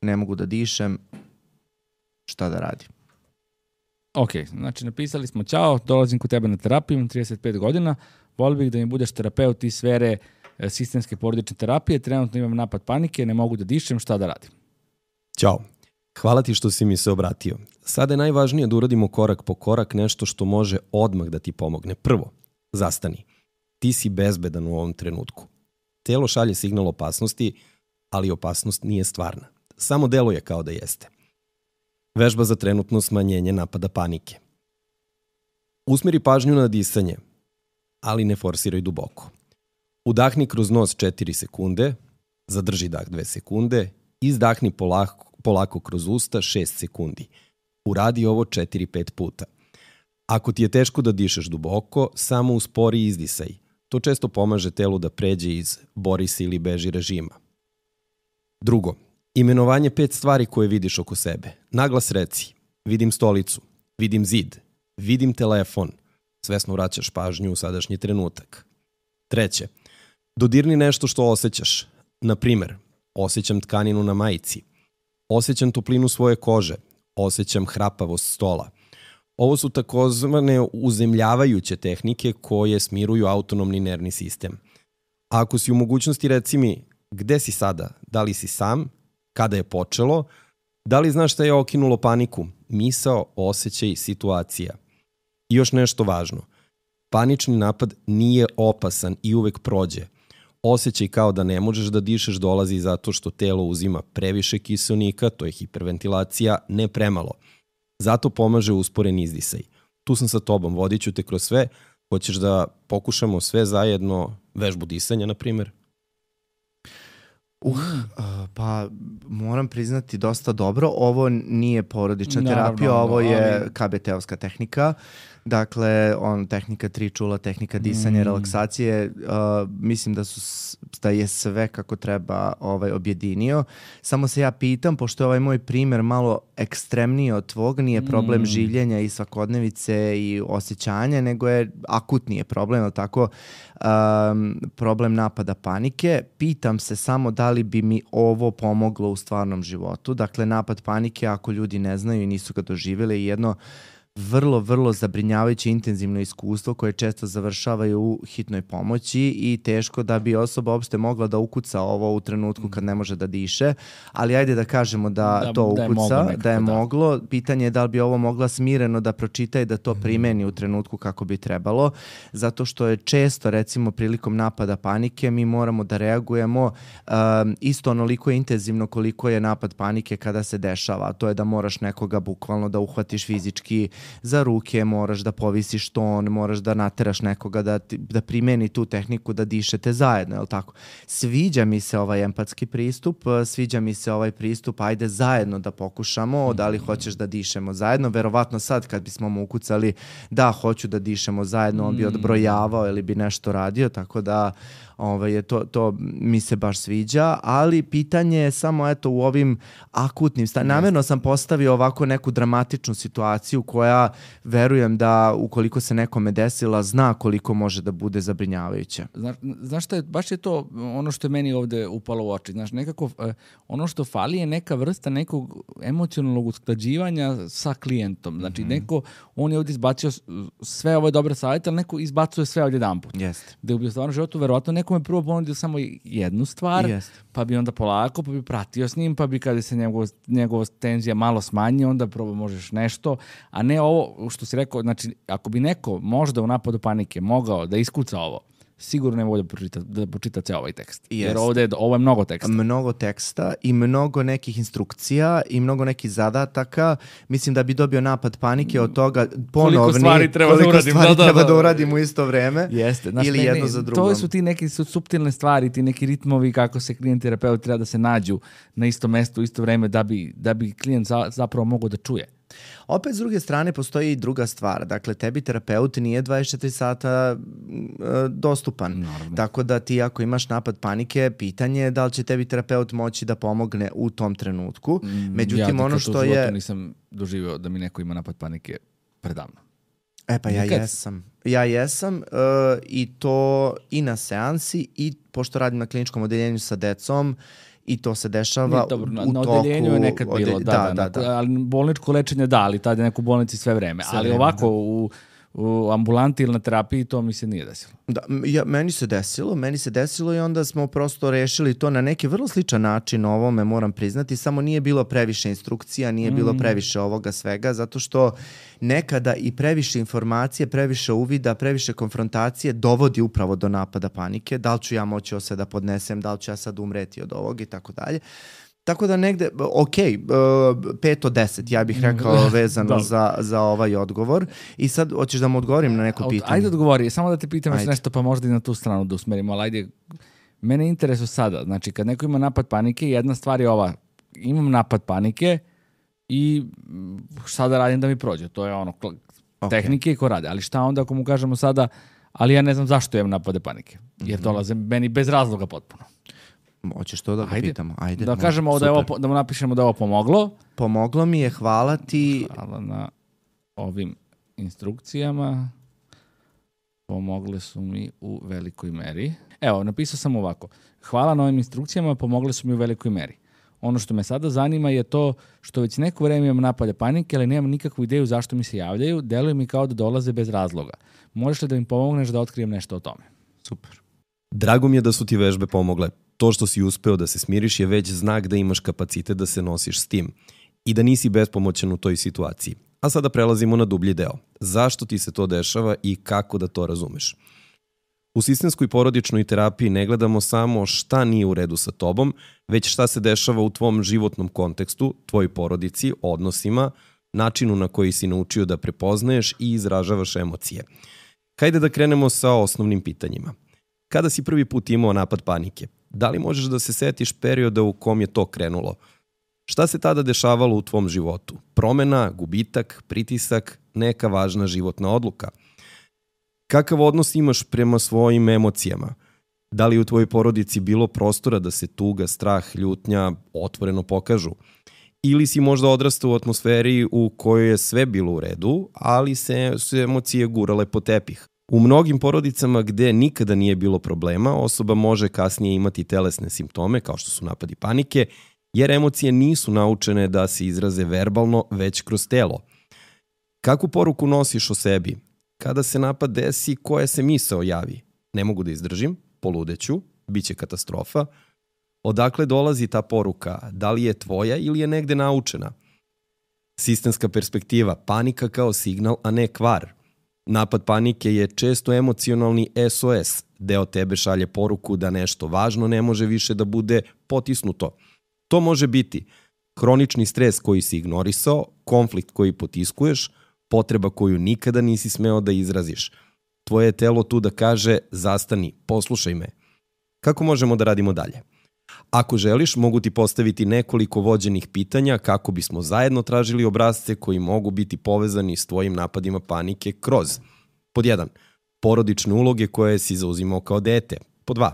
ne mogu da dišem, šta da radim? Ok, znači napisali smo ćao, dolazim kod tebe na terapiju, imam 35 godina, volio bih da mi budeš terapeut iz sfere sistemske porodične terapije, trenutno imam napad panike, ne mogu da dišem, šta da radim? Ćao. Hvala ti što si mi se obratio. Sada je najvažnije da uradimo korak po korak nešto što može odmah da ti pomogne. Prvo, zastani. Ti si bezbedan u ovom trenutku. Telo šalje signal opasnosti, ali opasnost nije stvarna. Samo deluje kao da jeste. Vežba za trenutno smanjenje napada panike. Usmeri pažnju na disanje, ali ne forsiraj duboko. Udahni kroz nos 4 sekunde, zadrži dah 2 sekunde, izdahni polako kroz usta 6 sekundi. Uradi ovo 4-5 puta. Ako ti je teško da dišeš duboko, samo uspori izdisaj. To često pomaže telu da pređe iz bori se ili beži režima. Drugo, imenovanje 5 stvari koje vidiš oko sebe. Naglas reci, vidim stolicu, vidim zid, vidim telefon. Svesno vraćaš pažnju u sadašnji trenutak. Treće, dodirni nešto što osjećaš. Na primer, osjećam tkaninu na majici. Osjećam toplinu svoje kože, osjećam hrapavost stola. Ovo su takozvane uzemljavajuće tehnike koje smiruju autonomni nervni sistem. A ako si u mogućnosti, reci mi, gde si sada? Da li si sam? Kada je počelo? Da li znaš šta je okinulo paniku? Misao, osjećaj, situacija. I još nešto važno. Panični napad nije opasan i uvek prođe. Osjećaj kao da ne možeš da dišeš dolazi zato što telo uzima previše kiseonika, to je hiperventilacija, ne premalo. Zato pomaže usporen izdisaj. Tu sam sa tobom, vodit ću te kroz sve. Hoćeš da pokušamo sve zajedno vežbu disanja, na primjer? Pa moram priznati dosta dobro. Ovo nije porodična terapija, ovo je KBT-ovska tehnika. Dakle, tehnika 3 čula, tehnika disanja, relaksacije, mislim da je sve kako treba objedinio. Samo se ja pitam, pošto je ovaj moj primjer malo ekstremniji od tvog, nije problem življenja i svakodnevice i osjećanja, nego je akutnije problem, tako, problem napada panike. Pitam se samo da li bi mi ovo pomoglo u stvarnom životu. Dakle, napad panike, ako ljudi ne znaju i nisu ga doživjeli, je jedno vrlo, vrlo zabrinjavajuće intenzivno iskustvo koje često završavaju u hitnoj pomoći i teško da bi osoba uopšte mogla da ukuca ovo u trenutku kad ne može da diše, ali ajde da kažemo da to ukuca, da je moglo. Pitanje je da li bi ovo mogla smireno da pročita i da to primeni u trenutku kako bi trebalo, zato što je često, recimo, prilikom napada panike mi moramo da reagujemo isto onoliko intenzivno koliko je napad panike kada se dešava. To je da moraš nekoga bukvalno da uhvatiš fizički za ruke, moraš da povisiš ton, moraš da nateraš nekoga da primeni tu tehniku da dišete zajedno, je li tako? Sviđa mi se ovaj empatski pristup, sviđa mi se ovaj pristup, ajde zajedno da pokušamo, da li hoćeš da dišemo zajedno, verovatno sad kad bismo mu ukucali da hoću da dišemo zajedno, on bi odbrojavao ili bi nešto radio, tako da to mi se baš sviđa, ali pitanje je samo u ovim akutnim namjerno sam postavio ovako neku dramatičnu situaciju koja verujem da ukoliko se nekome desila zna koliko može da bude zabrinjavajuće. Znaš šta je, baš je to ono što je meni ovde upalo u oči. Znaš, nekako ono što fali je neka vrsta nekog emocionalnog usklađivanja sa klijentom. Znači, on je ovdje izbacio sve ove dobre savjete, ali neko izbacuje sve ovdje jedanput. Jeste. Da bi u stvarnom životu verovatno nekome prvo ponudio samo jednu stvar, pa bi onda polako, pa bi pratio s njim, pa bi kada se njegova tenzija malo smanji, onda prvo možeš nešto, a ne ovo što si rekao, znači ako bi neko možda u napadu panike mogao da iskuca ovo, sigurno ne mogu da pročita ceo ovaj tekst. Jer ovo je mnogo teksta. Mnogo teksta i mnogo nekih instrukcija i mnogo nekih zadataka. Mislim da bi dobio napad panike od toga ponovni. Koliko stvari treba da uradim u isto vreme. Jeste. Znači, ili jedno za drugom. To su ti neke suptilne stvari, ti neki ritmovi kako se klijent i terapeut treba da se nađu na isto mesto u isto vreme da bi klijent zapravo mogao da čuje. Opet, s druge strane, postoji i druga stvar. Dakle, tebi terapeut nije 24 sata dostupan. Naravno. Tako da ti ako imaš napad panike, pitanje je da li će tebi terapeut moći da pomogne u tom trenutku. Međutim, ono što je... Ja nisam doživio da mi neko ima napad panike predavno. Pa ja jesam i to i na seansi i pošto radim na kliničkom odeljenju sa decom, i to se dešava u toku... Na odeljenju je nekad bilo, ali bolničko lečenje ali tada je neko u bolnici sve vreme. Ali ovako u ambulanti ili na terapiji to mi se nije desilo. Meni se desilo i onda smo prosto rešili to na neki vrlo sličan način ovome, moram priznati, samo nije bilo previše instrukcija, nije bilo previše ovoga svega, zato što nekada i previše informacije, previše uvida, previše konfrontacije dovodi upravo do napada panike. Da li ću ja moći ovo sve da podnesem, da li ću ja sad umreti od ovog i tako dalje. Tako da negde, 5 od 10, ja bih rekao vezano za ovaj odgovor. I sad, hoćeš da mu odgovorim na neko pitanje? Ajde odgovori, samo da te pitam nešto, pa možda i na tu stranu da usmerimo, ali ajde, mene interesuje sada, znači kad neko ima napad panike, jedna stvar je ova, imam napad panike i šta da radim da mi prođe, to je ono, tehnike ko rade, ali šta onda ako mu kažemo sada, ali ja ne znam zašto imam napade panike, jer dolaze meni bez razloga potpuno. Hoćeš to da ga pitamo? Ajde, da kažemo da mu napišemo da je ovo pomoglo. Pomoglo mi je, hvala ti. Hvala na ovim instrukcijama. Pomogle su mi u velikoj meri. Evo, napisao sam ovako. Hvala na ovim instrukcijama, pomogle su mi u velikoj meri. Ono što me sada zanima je to što već neko vreme imam napade panike, ali nemam nikakvu ideju zašto mi se javljaju. Deluje mi kao da dolaze bez razloga. Možeš li da mi pomogneš da otkrijem nešto o tome? Super. Drago mi je da su ti vežbe pomogle. To što si uspeo da se smiriš je već znak da imaš kapacitet da se nosiš s tim i da nisi bespomoćan u toj situaciji. A sada prelazimo na dublji deo. Zašto ti se to dešava i kako da to razumeš? U sistemskoj porodičnoj terapiji ne gledamo samo šta nije u redu sa tobom, već šta se dešava u tvom životnom kontekstu, tvojoj porodici, odnosima, načinu na koji si naučio da prepoznaješ i izražavaš emocije. Hajde da krenemo sa osnovnim pitanjima. Kada si prvi put imao napad panike? Da li možeš da se setiš perioda u kom je to krenulo? Šta se tada dešavalo u tvom životu? Promena, gubitak, pritisak, neka važna životna odluka? Kakav odnos imaš prema svojim emocijama? Da li u tvojoj porodici bilo prostora da se tuga, strah, ljutnja otvoreno pokažu? Ili si možda odrastao u atmosferi u kojoj je sve bilo u redu, ali su emocije gurale po tepih? U mnogim porodicama gde nikada nije bilo problema, osoba može kasnije imati telesne simptome, kao što su napadi panike, jer emocije nisu naučene da se izraze verbalno, već kroz telo. Kakvu poruku nosiš o sebi? Kada se napad desi, koja se misao javi? Ne mogu da izdržim, poludeću, bit će katastrofa. Odakle dolazi ta poruka? Da li je tvoja ili je negde naučena? Sistemska perspektiva, panika kao signal, a ne kvar. Napad panike je često emocionalni SOS. Deo tebe šalje poruku da nešto važno ne može više da bude potisnuto. To može biti hronični stres koji si ignorisao, konflikt koji potiskuješ, potreba koju nikada nisi smeo da izraziš. Tvoje telo tu da kaže zastani, poslušaj me. Kako možemo da radimo dalje? Ako želiš, mogu ti postaviti nekoliko vođenih pitanja kako bismo zajedno tražili obrasce koji mogu biti povezani s tvojim napadima panike kroz pod 1. Porodične uloge koje si zauzimao kao dete. Pod 2.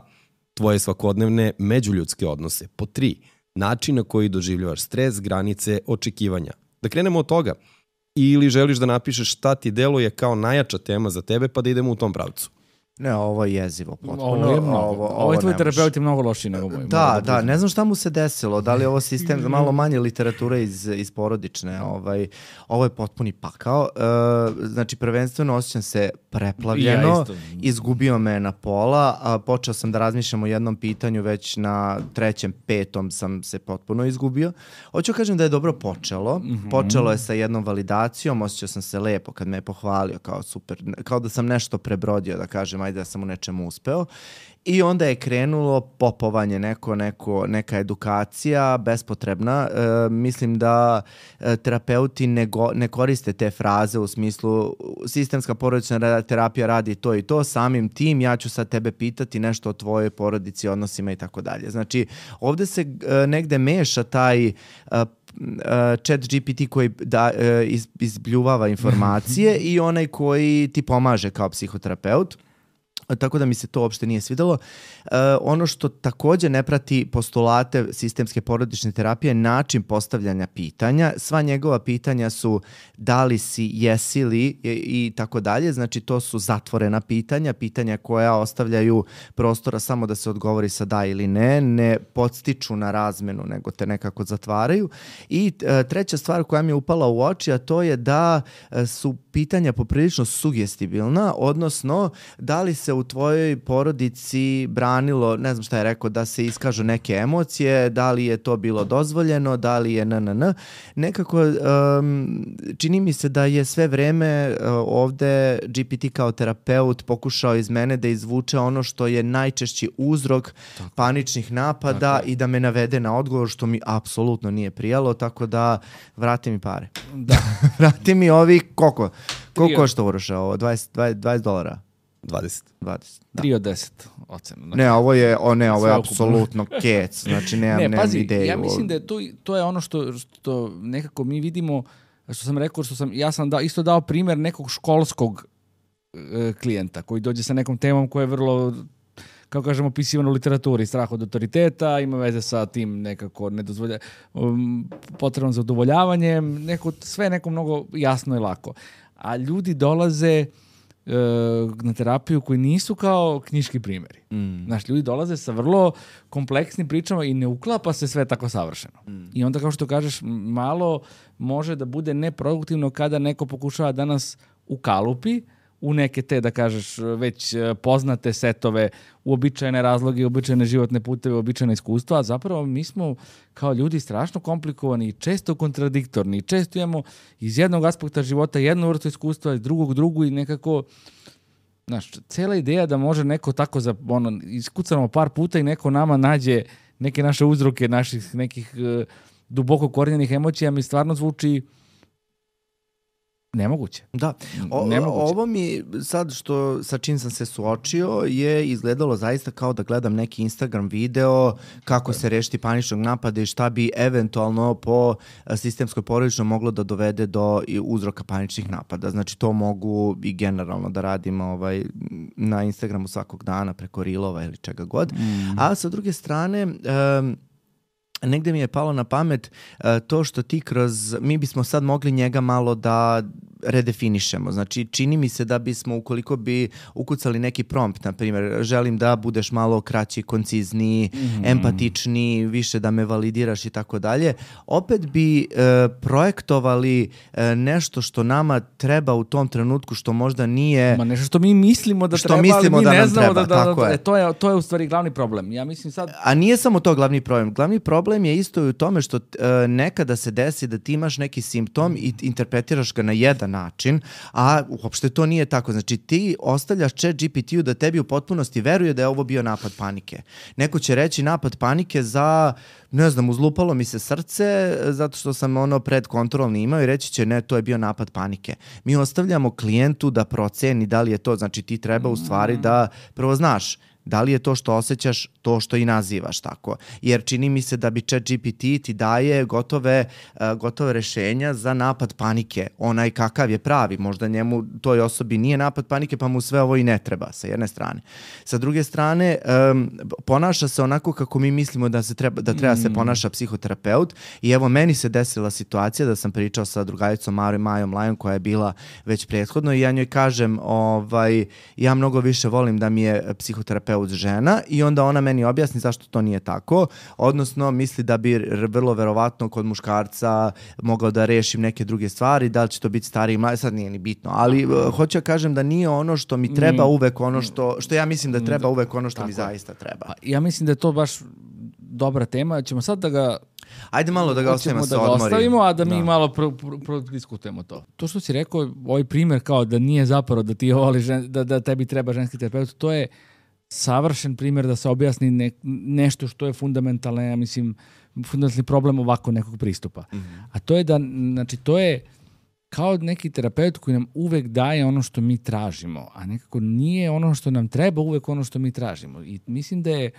Tvoje svakodnevne međuljudske odnose. Pod 3. Način na koji doživljavaš stres, granice, očekivanja. Da krenemo od toga. Ili želiš da napišeš šta ti deluje kao najjača tema za tebe pa da idemo u tom pravcu? Ne, ovo je jezivo potpuno. Ovo je tvoj terapeut je mnogo lošiji nego moj. Da, ne znam šta mu se desilo. Da li je ovo sistem za malo manje literature iz porodične. Ovo je potpuni pakao. Znači, prvenstveno osjećam se preplavljeno. Izgubio me na pola. A počeo sam da razmišljam o jednom pitanju, već na 3., 5. sam se potpuno izgubio. Hoću kažem da je dobro počelo. Počelo je sa jednom validacijom. Osjećao sam se lepo kad me je pohvalio kao super. Kao da sam nešto prebrodio, da kažem, da sam u nečemu uspeo. I onda je krenulo popovanje, neka edukacija bespotrebna. Mislim da terapeuti ne koriste te fraze u smislu sistemska porodična terapija radi to i to, samim tim ja ću sad tebe pitati nešto o tvojoj porodici, odnosima i tako dalje. Znači, ovde se negde meša taj chat GPT koji izbljuvava informacije i onaj koji ti pomaže kao psihoterapeut. Tako da mi se to uopšte nije svidelo. Ono što takođe ne prati postulate sistemske porodične terapije je način postavljanja pitanja. Sva njegova pitanja su da li si, jesi li i tako dalje. Znači to su zatvorena pitanja koja ostavljaju prostora samo da se odgovori sa da ili ne podstiču na razmenu, nego te nekako zatvaraju. I treća stvar koja mi je upala u oči, a to je da su pitanja poprilično sugestibilna, odnosno da li se u tvojoj porodici branilo, ne znam šta je rekao, da se iskažu neke emocije, da li je to bilo dozvoljeno, da li je nekako čini mi se da je sve vreme ovde GPT kao terapeut pokušao iz mene da izvuče ono što je najčešći uzrok paničnih napada i da me navede na odgovor, što mi apsolutno nije prijalo, tako da vrati mi pare. Da. Vrati mi ovi koliko košta Uroša ovo? $20? 20. 20. 3 od 10 ocena. Znači, ovo je apsolutno kec. Znači, nemam ideju. Ja mislim da je to je ono što nekako mi vidimo, što sam rekao, ja sam isto dao primjer nekog školskog klijenta koji dođe sa nekom temom koja je vrlo, kako kažemo, opisivano u literaturi, strah od autoriteta, ima veze sa tim nekako potrebno za udovoljavanjem, sve neko mnogo jasno i lako. A ljudi dolaze na terapiju koji nisu kao knjiški primjeri. Znaš, ljudi dolaze sa vrlo kompleksnim pričama i ne uklapa se sve tako savršeno. I onda, kao što kažeš, malo može da bude neproduktivno kada neko pokušava da nas ukalupi u neke te, da kažeš, već poznate setove, uobičajene razloge, uobičajene životne puteve, uobičajene iskustva, a zapravo mi smo kao ljudi strašno komplikovani i često kontradiktorni i često imamo iz jednog aspekta života jednu vrstu iskustva, iz drugog drugu i nekako, znaš, cela ideja da može neko tako iskucamo par puta i neko nama nađe neke naše uzroke, naših nekih duboko korenjenih emocija, mi stvarno zvuči nemoguće. Da. Ovo mi sad sa čim sam se suočio je izgledalo zaista kao da gledam neki Instagram video kako se rešiti paničnog napada i šta bi eventualno po sistemskoj porodično moglo da dovede do uzroka paničnih napada. Znači to mogu i generalno da radim na Instagramu svakog dana preko Reelova ili čega god. A sa druge strane negde mi je palo na pamet to što ti mi bismo sad mogli njega malo da redefinišemo. Znači, čini mi se da bismo, ukoliko bi ukucali neki prompt, na primjer, želim da budeš malo kraći, koncizniji, empatičniji, više da me validiraš i tako dalje, opet bi projektovali nešto što nama treba u tom trenutku, što možda nije... Ma nešto što mi mislimo da treba, ali mi ne znamo to je u stvari glavni problem. Ja mislim sad... A nije samo to glavni problem. Glavni problem je isto i u tome što nekada se desi da ti imaš neki simptom i interpretiraš ga na jedan način, a uopšte to nije tako. Znači ti ostavljaš ChatGPT-u da tebi u potpunosti veruje da je ovo bio napad panike. Neko će reći napad panike za, ne znam, uzlupalo mi se srce zato što sam predkontrolni imao i reći će ne, to je bio napad panike. Mi ostavljamo klijentu da proceni da li je to, znači ti treba u stvari da prvo znaš da li je to što osjećaš to što i nazivaš tako. Jer čini mi se da bi ChatGPT ti daje gotove rešenja za napad panike. Onaj kakav je pravi. Možda njemu, toj osobi nije napad panike, pa mu sve ovo i ne treba, sa jedne strane. Sa druge strane, ponaša se onako kako mi mislimo da treba se ponaša psihoterapeut. I evo, meni se desila situacija da sam pričao sa drugaricom Majom Lajom, koja je bila već prethodno, i ja njoj kažem, ja mnogo više volim da mi je psihoterapeut žena, i onda ona meni objasni zašto to nije tako, odnosno misli da bi vrlo verovatno kod muškarca mogao da rešim neke druge stvari, da li će to biti stariji, sad nije ni bitno, ali hoću da kažem da nije ono što mi treba uvek ono što ja mislim da treba uvek ono što mi zaista treba. Ja mislim da je to baš dobra tema, ćemo sad da ga ajde malo da ga ostavimo, a da mi malo prodiskutujemo to. To što si rekao, ovaj primjer kao da nije zapravo da ti voliš, da tebi treba ženski terapeut, to je savršen primjer da se objasni nešto što je fundamentalno, ja mislim, fundamentalni problem ovako nekog pristupa. A to je da, znači, to je kao neki terapeut koji nam uvek daje ono što mi tražimo, a nekako nije ono što nam treba uvek ono što mi tražimo. I mislim da je,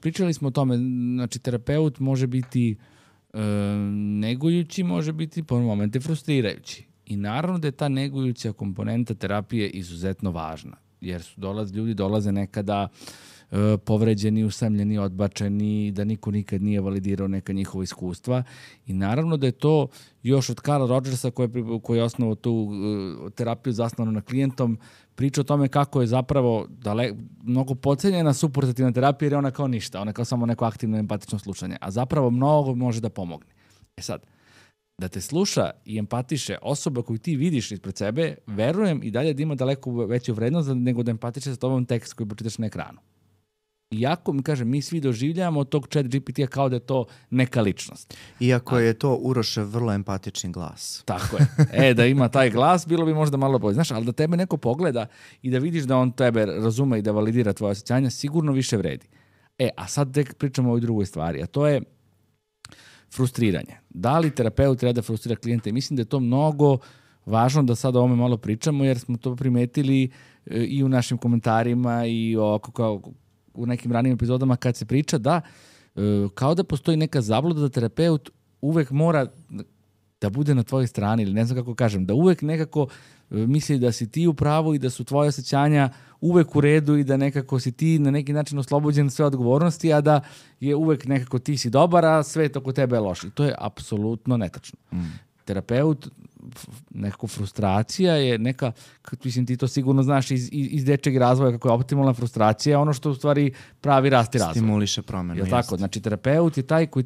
pričali smo o tome, znači, terapeut može biti negujući, može biti po momente frustrirajući. I naravno da je ta negujuća komponenta terapije izuzetno važna. Jer ljudi dolaze nekada povređeni, usamljeni, odbačeni, da niko nikad nije validirao neka njihova iskustva. I naravno da je to još od Carla Rogersa, koji je osnovao tu terapiju zasnovanu na klijentom, priča o tome kako je zapravo mnogo podcenjena suportativna terapija, jer je ona kao ništa, ona je kao samo neko aktivno empatično slušanje, a zapravo mnogo može da pomogne. Sad, da te sluša i empatiše osoba koju ti vidiš ispred sebe, verujem i dalje da ima daleko veću vrednost nego da empatiše sa tobom tekst koji pročitaš na ekranu. Iako, mi svi doživljavamo tog ChatGPT-a kao da je to neka ličnost. Iako je to Urošev vrlo empatični glas. Tako je. Da ima taj glas, bilo bi možda malo bolje. Znaš, ali da tebe neko pogleda i da vidiš da on tebe razume i da validira tvoje osjećanja, sigurno više vredi. A sad tek pričamo o ovoj drugoj stvari, a to je frustriranje. Da li terapeut treba da frustrira klijenta? I mislim da je to mnogo važno da sad o ovome malo pričamo, jer smo to primetili i u našim komentarima i u nekim ranijim epizodama kad se priča da kao da postoji neka zabluda da terapeut uvek mora da bude na tvojoj strani, ili ne znam kako kažem, da uvek nekako misli da si ti u pravu i da su tvoje osjećanja uvek u redu i da nekako si ti na neki način oslobođen sve odgovornosti, a da je uvek nekako ti si dobar, a sve oko tebe je loše. I to je apsolutno netačno. Terapeut nekako frustracija je neka, mislim ti to sigurno znaš iz dečeg razvoja, kako je optimalna frustracija, ono što u stvari pravi rast i razvoj. Stimuliše promenu. Je tako? Znači terapeut je taj koji...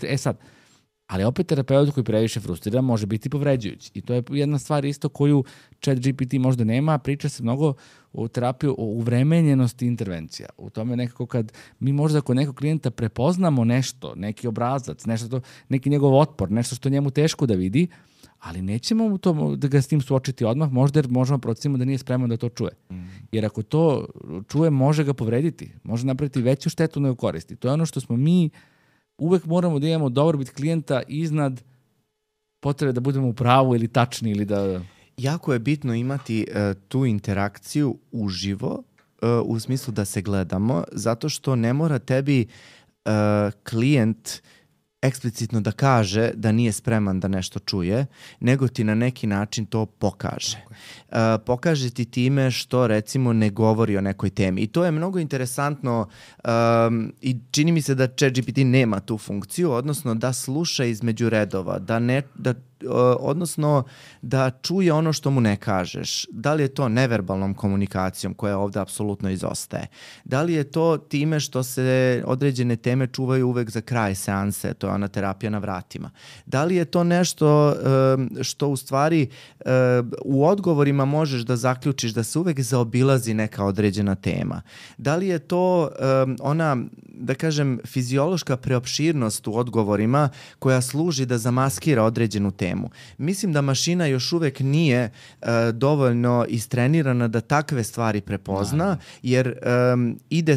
Ali opet terapeut koji previše frustrira može biti povređujući. I to je jedna stvar isto koju ChatGPT možda nema, priča se mnogo o terapiji, o uvremenjenosti intervencija. U tome nekako kad mi možda kod nekog klijenta prepoznamo nešto, neki obrazac, neki njegov otpor, nešto što njemu teško da vidi, ali nećemo da ga s tim suočiti odmah, možda jer možemo procenimo da nije spreman da to čuje. Jer ako to čuje, može ga povrediti, može napraviti veću štetu nego koristi. To je ono što smo mi uvek moramo da imamo dobrobit klijenta iznad potrebe da budemo u pravu ili tačni ili da... Jako je bitno imati tu interakciju uživo, u smislu da se gledamo, zato što ne mora tebi klijent eksplicitno da kaže da nije spreman da nešto čuje, nego ti na neki način to pokaže. Pokaže ti time što recimo ne govori o nekoj temi. I to je mnogo interesantno i čini mi se da ChatGPT nema tu funkciju, odnosno da sluša između redova, odnosno da čuje ono što mu ne kažeš. Da li je to neverbalnom komunikacijom koja ovde apsolutno izostaje? Da li je to time što se određene teme čuvaju uvek za kraj seanse, to je ona terapija na vratima? Da li je to nešto što u stvari u odgovorima možeš da zaključiš da se uvek zaobilazi neka određena tema? Da li je to ona, da kažem, fiziološka preopširnost u odgovorima koja služi da zamaskira određenu temu? Mislim da mašina još uvek nije dovoljno istrenirana da takve stvari prepozna, jer ide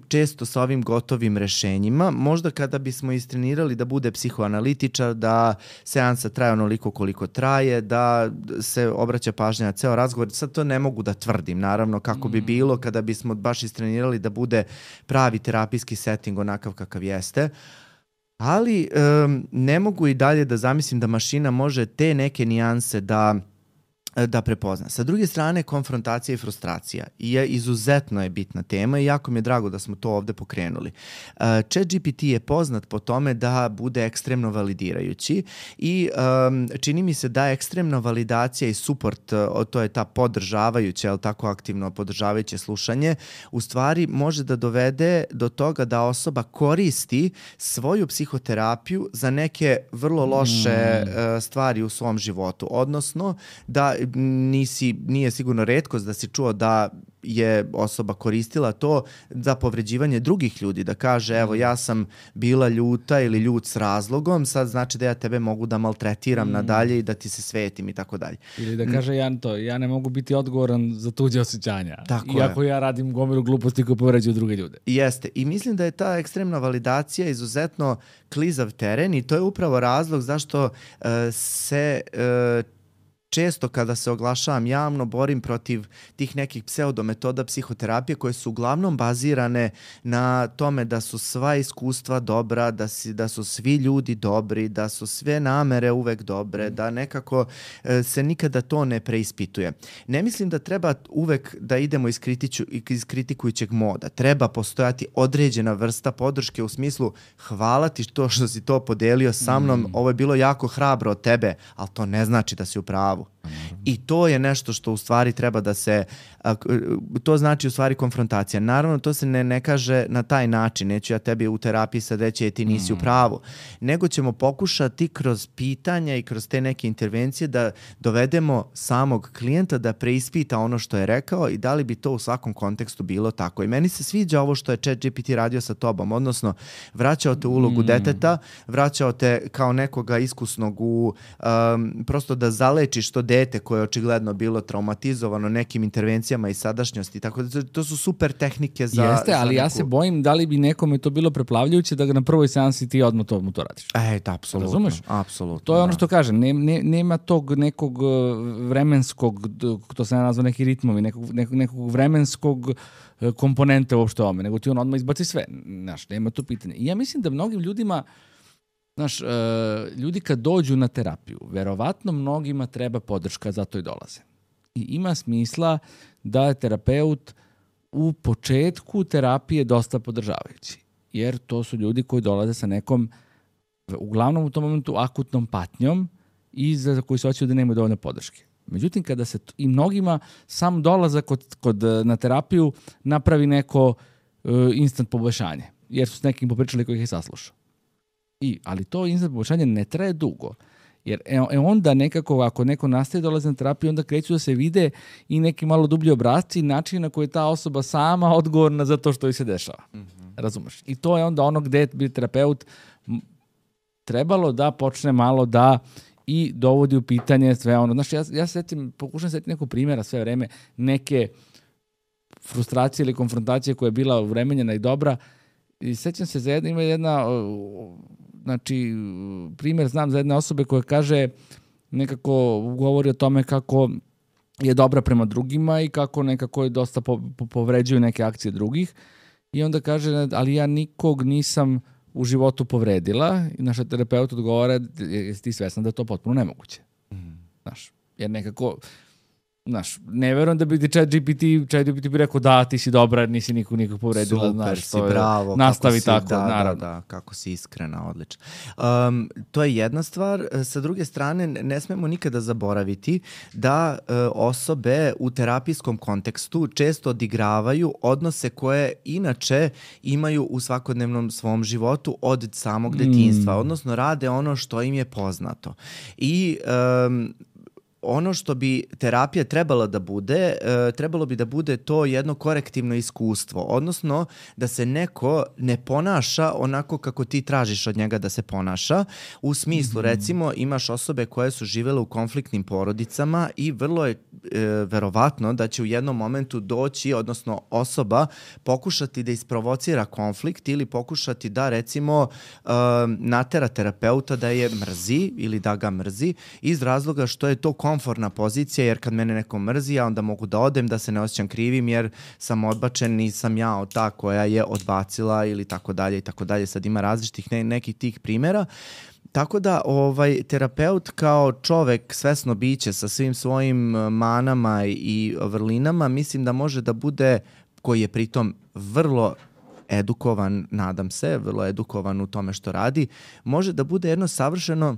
često sa ovim gotovim rešenjima. Možda kada bismo istrenirali da bude psihoanalitičar, da seansa traje onoliko koliko traje, da se obraća pažnja na ceo razgovor. Sad to ne mogu da tvrdim, naravno, kako bi bilo kada bismo baš istrenirali da bude pravi terapijski setting onakav kakav jeste. Ali ne mogu i dalje da zamislim da mašina može te neke nijanse da prepozna. Sa druge strane, konfrontacija i frustracija izuzetno je bitna tema i jako mi je drago da smo to ovde pokrenuli. ChatGPT je poznat po tome da bude ekstremno validirajući i čini mi se da ekstremna validacija i support, to je ta podržavajuća, ali tako aktivno podržavajuće slušanje, u stvari može da dovede do toga da osoba koristi svoju psihoterapiju za neke vrlo loše stvari u svom životu. Odnosno, da nije sigurno retkost da si čuo da je osoba koristila to za povređivanje drugih ljudi, da kaže evo ja sam bila ljuta ili ljut s razlogom, sad znači da ja tebe mogu da maltretiram nadalje i da ti se svetim i tako dalje. Ili da kaže ja ne mogu biti odgovoran za tuđe osjećanja. Iako ja radim gomilu gluposti koje povređuju druge ljude. Jeste. I mislim da je ta ekstremna validacija izuzetno klizav teren i to je upravo razlog zašto se često kada se oglašavam javno borim protiv tih nekih pseudometoda psihoterapije koje su uglavnom bazirane na tome da su sva iskustva dobra, da su svi ljudi dobri, da su sve namere uvek dobre, da nekako se nikada to ne preispituje. Ne mislim da treba uvek da idemo iz kritikujućeg moda. Treba postojati određena vrsta podrške u smislu hvala ti što si to podelio sa mnom, ovo je bilo jako hrabro od tebe, ali to ne znači da si u pravu. I to je nešto što u stvari treba da se, to znači u stvari konfrontacija. Naravno, to se ne kaže na taj način, neću ja tebi u terapiji sad reći ti nisi u pravu, nego ćemo pokušati kroz pitanja i kroz te neke intervencije da dovedemo samog klijenta da preispita ono što je rekao i da li bi to u svakom kontekstu bilo tako. I meni se sviđa ovo što je ChatGPT radio sa tobom, odnosno vraćao te u ulogu deteta, vraćao te kao nekoga iskusnog prosto da zalečiš to dete koje je očigledno bilo traumatizovano nekim intervencijama i sadašnjosti. Tako da to su super tehnike za... Jeste, ali ja se bojim da li bi nekome to bilo preplavljujuće da ga na prvoj seansi ti odmah to radiš. Apsolutno. Razumeš? Apsolutno. To je ono što kažem, nema tog nekog vremenskog, to se nazva neki ritmovi, nekog vremenskog komponente uopšte ome, nego ti on odmah izbaci sve. Znaš, nema to pitanje. I ja mislim da mnogim ljudima ljudi kad dođu na terapiju, verovatno mnogima treba podrška, zato i dolaze. I ima smisla da je terapeut u početku terapije dosta podržavajući. Jer to su ljudi koji dolaze sa nekom, uglavnom u tom momentu, akutnom patnjom i za koji se osjećaju da nemaju dovoljno podrške. Međutim, kada se i mnogima sam dolazak na terapiju napravi neko instant poboljšanje, jer su s nekim popričali koji ih je saslušao. Ali to instant poboljšanje ne traje dugo. Jer onda nekako, ako neko nastaje dolazi na terapiju, onda kreću da se vide i neki malo dublji obrasci i način na koji je ta osoba sama odgovorna za to što joj se dešava. Razumeš? I to je onda ono gde bi terapeut trebalo da počne malo da i dovodi u pitanje sve ono. Znaš, ja pokušam setiti nekog primjera sve vreme, neke frustracije ili konfrontacije koja je bila uvremenjena i dobra. I sećam se ima jedna primjer znam za jedne osobe koja kaže, nekako govori o tome kako je dobra prema drugima i kako nekako je dosta povređuju neke akcije drugih. I onda kaže, ali ja nikog nisam u životu povredila. I naša terapeut odgovara, jesi ti svesna da je to potpuno nemoguće. Znaš, jer nekako, ne verujem da bi ti ChatGPT bi rekao da, ti si dobra, nisi nikog povredila. Super, si, bravo. Nastavi tako, naravno. Da, kako si iskrena, odlično. To je jedna stvar. Sa druge strane, ne smemo nikada zaboraviti da osobe u terapijskom kontekstu često odigravaju odnose koje inače imaju u svakodnevnom svom životu od samog detinjstva, odnosno rade ono što im je poznato. I ono što bi terapija trebala da bude, trebalo bi da bude to jedno korektivno iskustvo, odnosno da se neko ne ponaša onako kako ti tražiš od njega da se ponaša. U smislu, recimo, imaš osobe koje su živele u konfliktnim porodicama i vrlo je verovatno da će u jednom momentu doći, odnosno osoba pokušati da isprovocira konflikt ili pokušati da, recimo, natera terapeuta da je mrzi ili da ga mrzi iz razloga što je to komfortna pozicija, jer kad mene neko mrzi, ja onda mogu da odem, da se ne osjećam krivim jer sam odbačen, nisam ja ta koja je odbacila ili tako dalje i tako dalje. Sad ima različitih nekih tih primjera. Tako da terapeut kao čovek, svesno biće sa svim svojim manama i vrlinama, mislim da može da bude, koji je pritom vrlo edukovan, nadam se, vrlo edukovan u tome što radi, može da bude jedno savršeno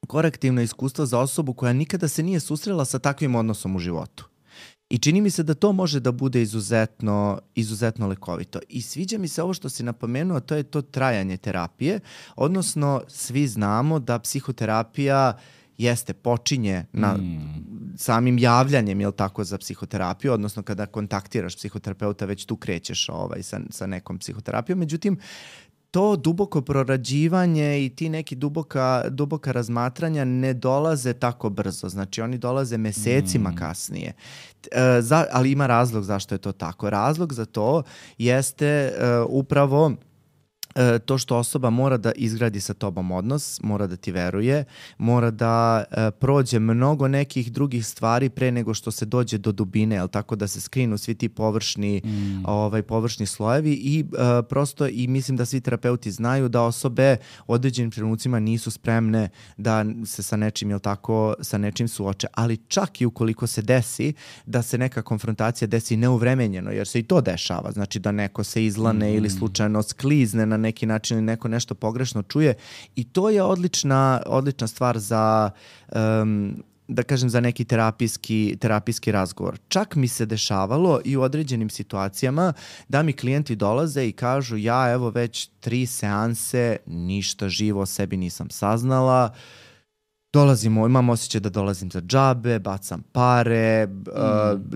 korektivno iskustvo za osobu koja nikada se nije susrela sa takvim odnosom u životu. I čini mi se da to može da bude izuzetno lekovito. I sviđa mi se ovo što si napomenuo, to je to trajanje terapije, odnosno svi znamo da psihoterapija počinje na samim javljanjem, jel tako, za psihoterapiju, odnosno kada kontaktiraš psihoterapeuta, već tu krećeš sa nekom psihoterapijom. Međutim, to duboko prorađivanje i ti neki duboka razmatranja ne dolaze tako brzo. Znači, oni dolaze mesecima kasnije. Ali ima razlog zašto je to tako. Razlog za to jeste upravo to što osoba mora da izgradi sa tobom odnos, mora da ti veruje, mora da prođe mnogo nekih drugih stvari pre nego što se dođe do dubine, jel tako, da se skrinu svi ti površni slojevi i prosto i mislim da svi terapeuti znaju da osobe u određenim trenucima nisu spremne da se sa nečim, jel tako, sa nečim suoče, ali čak i ukoliko se desi da se neka konfrontacija desi neuvremenjeno, jer se i to dešava, znači da neko se izlane ili slučajno sklizne na neki način ili neko nešto pogrešno čuje, i to je odlična stvar za da kažem za neki terapijski razgovor. Čak mi se dešavalo i u određenim situacijama da mi klijenti dolaze i kažu, ja evo već 3 seanse ništa živo o sebi nisam saznala, imam osjećaj da dolazim za džabe, bacam pare,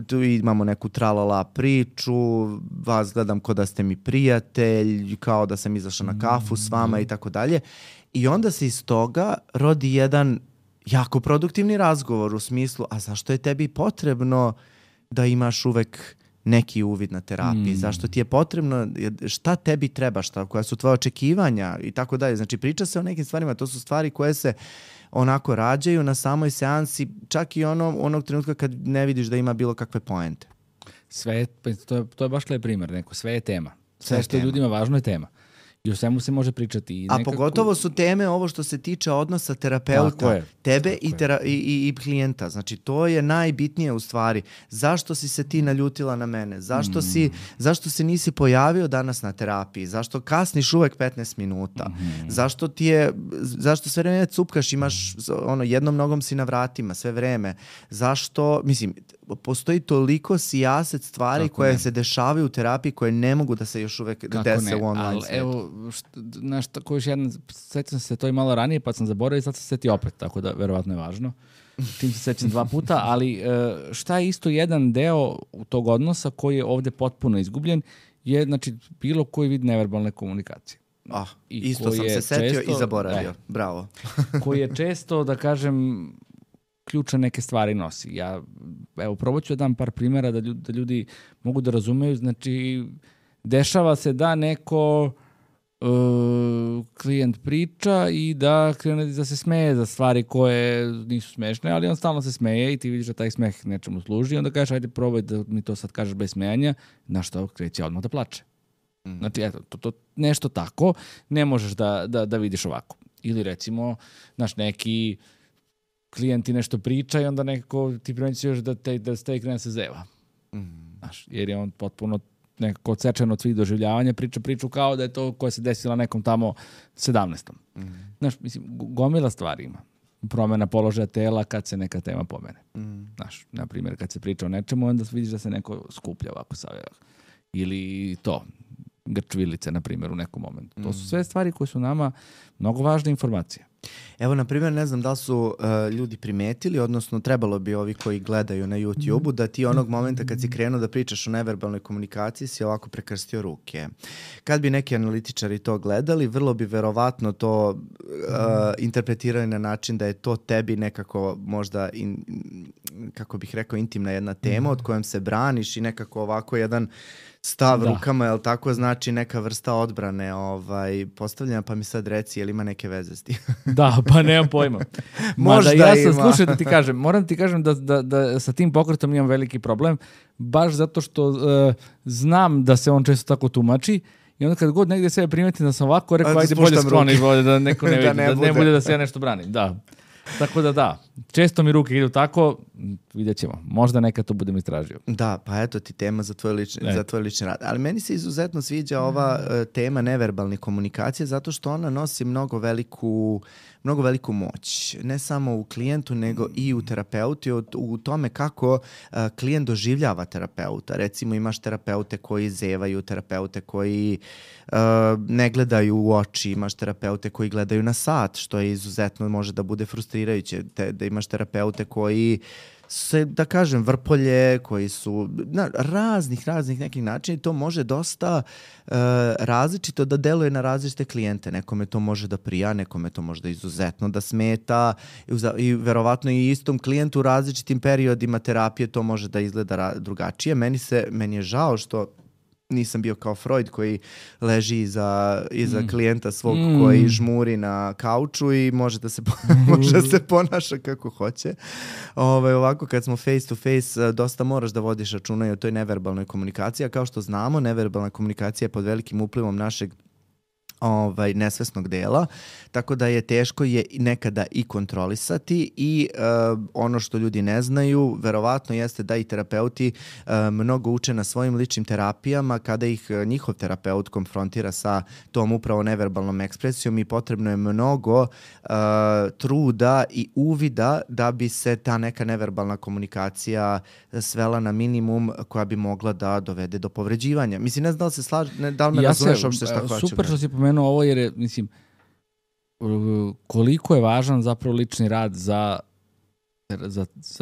tu imamo neku tralala priču, vas gledam kao da ste mi prijatelj, kao da sam izašla na kafu s vama i tako dalje. I onda se iz toga rodi jedan jako produktivni razgovor u smislu, a zašto je tebi potrebno da imaš uvek neki uvid na terapiji, zašto ti je potrebno, šta tebi treba, koja su tvoje očekivanja i tako dalje. Znači, priča se o nekim stvarima, to su stvari koje se onako rađaju na samoj seansi, čak i onog trenutka kad ne vidiš da ima bilo kakve poente. To je baš lep primjer, sve je tema. Sve što je ljudima važno je tema. I o svemu se može pričati. A pogotovo su teme ovo što se tiče odnosa terapeuta, tebe i klijenta. Znači, to je najbitnije u stvari. Zašto si se ti naljutila na mene? Zašto se nisi pojavio danas na terapiji? Zašto kasniš uvek 15 minuta? Zašto sve vreme cupkaš, imaš jednom nogom si na vratima sve vreme? Zašto, mislim, postoji toliko sijaset stvari koje se dešavaju u terapiji koje ne mogu da se još uvek dese u online svijetu. Evo, ko još jedan, sećam se to i malo ranije pa sam zaboravio i sad se seti opet, tako da verovatno je važno. Čim se sećam 2 puta, ali šta je isto jedan deo tog odnosa koji je ovde potpuno izgubljen je, znači, bilo koji vid neverbalne komunikacije. Isto sam se setio i zaboravio. Bravo. Koji je često, da kažem, ključne neke stvari nosi. Ja, evo, probat ću da dam par primjera da ljudi mogu da razumeju. Znači, dešava se da neko klijent priča i da krene da se smeje za stvari koje nisu smešne, ali on stalno se smeje i ti vidiš da taj smeh nečemu služi i onda kažeš, ajde probaj da mi to sad kažeš bez smejanja, na što kreće odmah da plače. Znači, eto, to nešto tako ne možeš da vidiš ovako. Ili recimo, znaš, neki klijenti nešto priča i onda nekako ti primećuješ da ste krene se zeva. Znaš, jer je on potpuno nekako odsečen od svih doživljavanja, priču kao da je to koja se desila nekom tamo 17. Znaš, mislim, gomila stvari ima. Promjena položaja tela kad se neka tema pomene. Znaš, na primjer, kad se priča o nečemu, onda vidiš da se neko skuplja ovako savjeva. Ili to, grčvilice, na primjer, u nekom momentu. To su sve stvari koje su nama mnogo važne informacije. Evo, na primjer, ne znam da li su ljudi primetili, odnosno trebalo bi ovi koji gledaju na YouTube-u, da ti onog momenta kad si krenuo da pričaš o neverbalnoj komunikaciji si ovako prekrstio ruke. Kad bi neki analitičari to gledali, vrlo bi verovatno to interpretirali na način da je to tebi nekako možda, kako bih rekao, intimna jedna tema od kojom se braniš i nekako ovako jedan stav rukama, jel tako, znači neka vrsta odbrane postavljena, pa mi sad reci, jel ima neke veze s tim? Da, pa nemam pojma. Možda ja sam, ima. slušaj da ti kažem, moram ti kažem da sa tim pokretom imam veliki problem, baš zato što znam da se on često tako tumači i onda kad god negdje sebe primetim da sam ovako, rekao, ajde bolje skloni, da neko ne vidi, da ne bude da se ja nešto branim. Da. Tako da, često mi ruke idu tako, vidjet ćemo. Možda nekad to budem istražio. Da, pa eto ti tema za tvoj lični rad. Ali meni se izuzetno sviđa ova tema neverbalne komunikacije zato što ona nosi mnogo veliku moć. Ne samo u klijentu, nego i u terapeuti, u tome kako klijent doživljava terapeuta. Recimo imaš terapeute koji zevaju, terapeute koji ne gledaju u oči, imaš terapeute koji gledaju na sat, što je izuzetno može da bude frustrirajuće. Da imaš terapeute koji se, da kažem, vrpolje, koji su na raznih nekih načina i to može dosta različito da deluje na različite klijente. Nekome to može da prija, nekome to može da izuzetno da smeta i verovatno i istom klijentu u različitim periodima terapije to može da izgleda drugačije. Meni je žao što nisam bio kao Freud koji leži iza klijenta svog koji žmuri na kauču i može da se ponaša kako hoće. Ovako kad smo face to face dosta moraš da vodiš računa i o toj neverbalnoj komunikaciji, a kao što znamo neverbalna komunikacija je pod velikim uplivom našeg nesvesnog dela, tako da je teško je nekada i kontrolisati i ono što ljudi ne znaju, verovatno jeste da i terapeuti mnogo uče na svojim ličnim terapijama kada ih njihov terapeut konfrontira sa tom upravo neverbalnom ekspresijom i potrebno je mnogo truda i uvida da bi se ta neka neverbalna komunikacija svela na minimum koja bi mogla da dovede do povređivanja. Mislim, ne znam da li se da li me razumeš uopšte šta hoću. Super što si pomenuo ovo jer je, mislim, koliko je važan zapravo lični rad za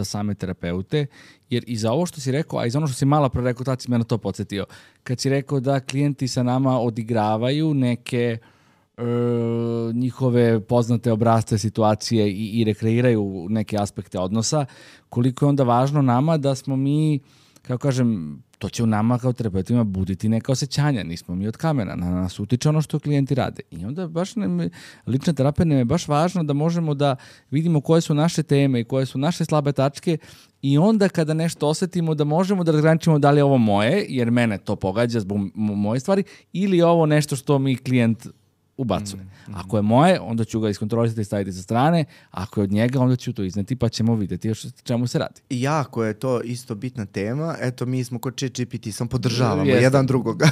same terapeute, jer i za ovo što si rekao, a i za ono što si malo pre rekao, tad si me na to podsjetio. Kad si rekao da klijenti sa nama odigravaju neke njihove poznate obrasce situacije i rekreiraju neke aspekte odnosa, koliko je onda važno nama da smo mi kako kažem, to će u nama kao terapeutima buditi neka osjećanja, nismo mi od kamena, na nas utiče ono što klijenti rade. I onda baš lična terapija nam je baš važno da možemo da vidimo koje su naše teme i koje su naše slabe tačke i onda kada nešto osjetimo da možemo da razgraničimo da li je ovo moje, jer mene to pogađa zbog moje stvari, ili je ovo nešto što mi klijent ubacuje. Ako je moje, onda ću ga iskontrolisati i staviti sa strane, ako je od njega, onda ću to izneti pa ćemo vidjeti čemu se radi. Jako je to isto bitna tema. Eto, mi smo kod ChatGPT, sam podržavamo jedan drugoga.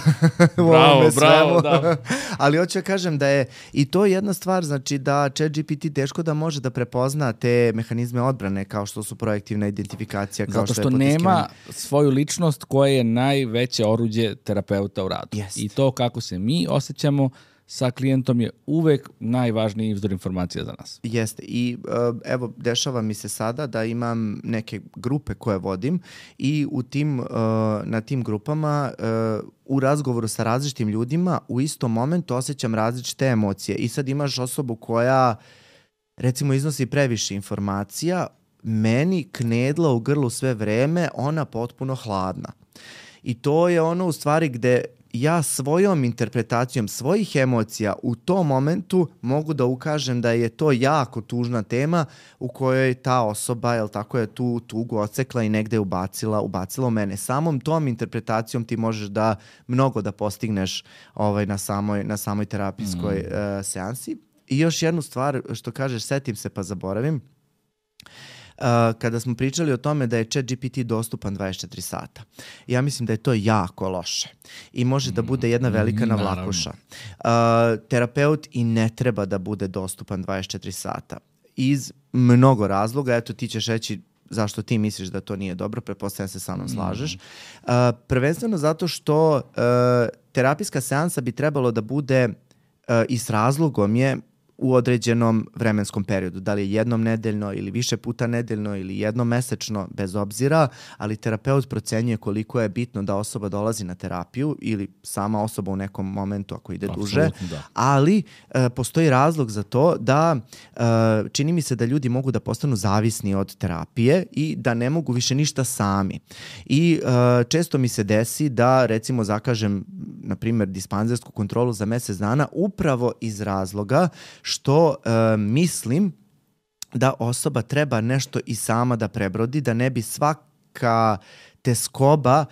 Bravo, da. Ali hoću kažem da je i to jedna stvar, znači da ChatGPT teško da može da prepozna te mehanizme odbrane kao što su projektivna identifikacija. Kao zato što nema svoju ličnost koja je najveće oruđe terapeuta u radu. Jest. I to kako se mi osjećamo sa klijentom je uvek najvažniji izvor informacija za nas. Jeste. I evo, dešava mi se sada da imam neke grupe koje vodim i u tim, na tim grupama u razgovoru sa različitim ljudima u istom momentu osjećam različite emocije. I sad imaš osobu koja recimo iznosi previše informacija, meni knedla u grlu sve vreme, ona potpuno hladna. I to je ono u stvari gde ja svojom interpretacijom svojih emocija u tom momentu mogu da ukažem da je to jako tužna tema u kojoj ta osoba, jel tako, je tu tugu odsekla i negde ubacila u mene. Samom tom interpretacijom ti možeš da mnogo da postigneš na samoj terapijskoj seansi. I još jednu stvar što kažeš, setim se pa zaboravim. Kada smo pričali o tome da je ChatGPT dostupan 24 sata. Ja mislim da je to jako loše i može da bude jedna velika navlakuša. Terapeut i ne treba da bude dostupan 24 sata. Iz mnogo razloga, eto ti ćeš reći zašto ti misliš da to nije dobro, pretpostavljam se sa mnom slažeš. Prvenstveno zato što terapijska seansa bi trebalo da bude i s razlogom je u određenom vremenskom periodu. Da li je jednom nedeljno ili više puta nedeljno ili jednom mesečno, bez obzira, ali terapeut procenjuje koliko je bitno da osoba dolazi na terapiju ili sama osoba u nekom momentu ako ide duže. Da. Ali postoji razlog za to da čini mi se da ljudi mogu da postanu zavisni od terapije i da ne mogu više ništa sami. I često mi se desi da recimo zakažem na primjer dispanzersku kontrolu za mjesec dana upravo iz razloga što mislim da osoba treba nešto i sama da prebrodi, da ne bi svaka teskoba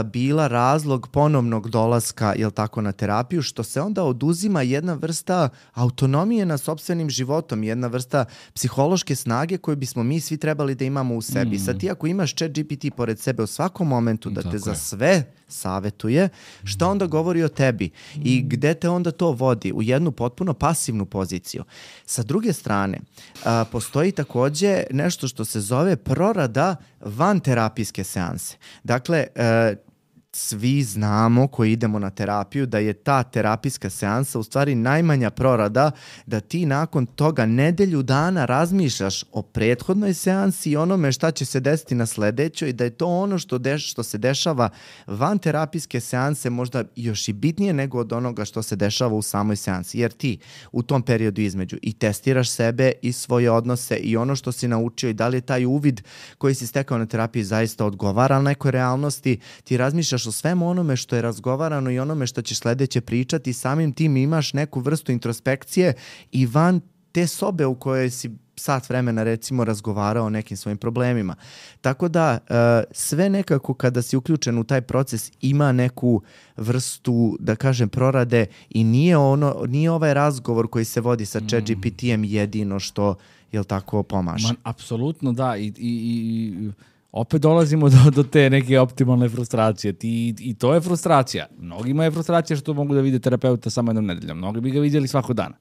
bila razlog ponovnog dolaska, jel tako, na terapiju, što se onda oduzima jedna vrsta autonomije na sopstvenim životom, jedna vrsta psihološke snage koju bismo mi svi trebali da imamo u sebi. Sad ti ako imaš ChatGPT pored sebe u svakom momentu da te za sve savetuje, šta onda govori o tebi i gde te onda to vodi? U jednu potpuno pasivnu poziciju. Sa druge strane, postoji takođe nešto što se zove prorada van terapijske seanse. Dakle, svi znamo koji idemo na terapiju da je ta terapijska seansa u stvari najmanja prorada, da ti nakon toga nedelju dana razmišljaš o prethodnoj seansi i onome šta će se desiti na sledećoj i da je to ono što se dešava van terapijske seanse možda još i bitnije nego od onoga što se dešava u samoj seansi. Jer ti u tom periodu između i testiraš sebe i svoje odnose i ono što si naučio i da li je taj uvid koji si stekao na terapiji zaista odgovara nekoj realnosti, ti razmišljaš o svemu onome što je razgovarano i onome što ćeš sledeće pričati i samim tim imaš neku vrstu introspekcije i van te sobe u kojoj si sat vremena recimo razgovarao o nekim svojim problemima. Tako da sve nekako kada si uključen u taj proces ima neku vrstu, da kažem, prorade i nije ovaj razgovor koji se vodi sa ChatGPT-em jedino što, jel tako, pomaže. Apsolutno da i opet dolazimo do te neke optimalne frustracije. I to je frustracija. Mnogima je frustracija što mogu da vide terapeuta samo jednom nedeljom. Mnogi bi ga vidjeli svakog dana.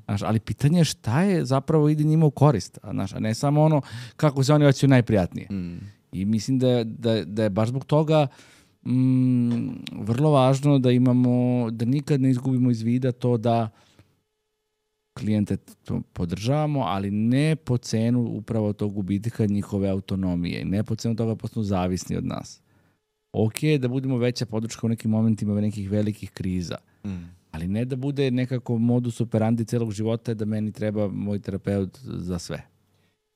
Znaš, ali pitanje je šta je zapravo ide njima u korist. Znaš, a ne samo ono kako se oni osjećaju najprijatnije. I mislim da je baš zbog toga vrlo važno da da nikad ne izgubimo iz vida to da klijente podržavamo, ali ne po cenu upravo tog gubitka njihove autonomije. Ne po cenu toga postanu zavisni od nas. Ok, da budemo veća podrška u nekim momentima nekih velikih kriza. Ali ne da bude nekako modus operandi celog života da meni treba moj terapeut za sve.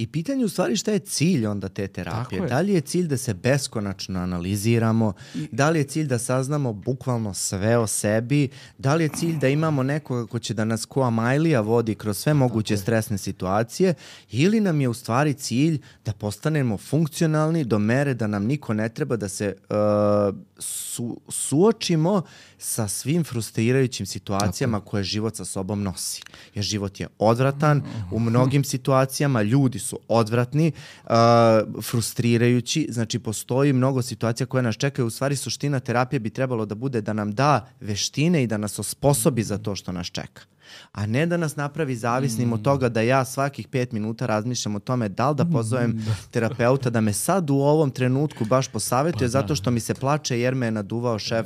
I pitanje u stvari šta je cilj onda te terapije. Da li je cilj da se beskonačno analiziramo, da li je cilj da saznamo bukvalno sve o sebi, da li je cilj da imamo nekoga ko će da nas ko Amajlija vodi kroz sve moguće stresne situacije, ili nam je u stvari cilj da postanemo funkcionalni do mere da nam niko ne treba, da se suočimo sa svim frustrirajućim situacijama koje život sa sobom nosi. Jer život je odvratan, u mnogim situacijama ljudi su odvratni, frustrirajući, znači postoji mnogo situacija koje nas čekaju. U stvari suština terapije bi trebalo da bude da nam da veštine i da nas osposobi za to što nas čeka. A ne da nas napravi zavisnim od toga da ja svakih 5 minuta razmišljam o tome da li da pozovem terapeuta da me sad u ovom trenutku baš posavetuje zato što mi se plače jer me je naduvao šef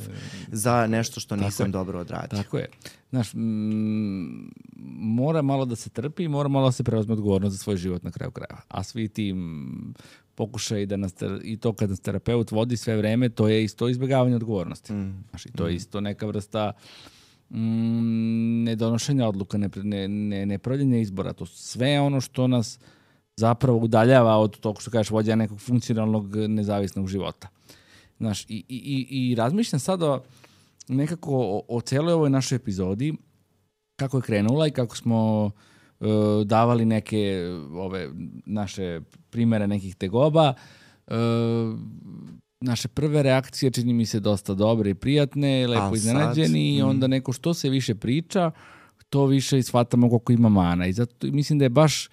za nešto što nisam dobro odradio. Tako je. Znaš, mora malo da se trpi i mora malo da se preuzme odgovornost za svoj život na kraju krajeva. A svi ti pokušaj da nas, i to kad nas terapeut vodi sve vreme, to je isto izbjegavanje odgovornosti. Znaš, i to je isto neka vrsta nedonošenja odluka, nepravljenja izbora. To sve ono što nas zapravo udaljava od tog što kažeš vođenja nekog funkcionalnog nezavisnog života. Znaš, i razmišljam sada nekako o celoj ovoj našoj epizodi, kako je krenula i kako smo davali neke ove naše primere nekih tegoba. Naše prve reakcije čini mi se dosta dobre i prijatne, lepo iznenađeni i onda neko što se više priča, to više shvatamo koliko ima mana. I zato mislim da je baš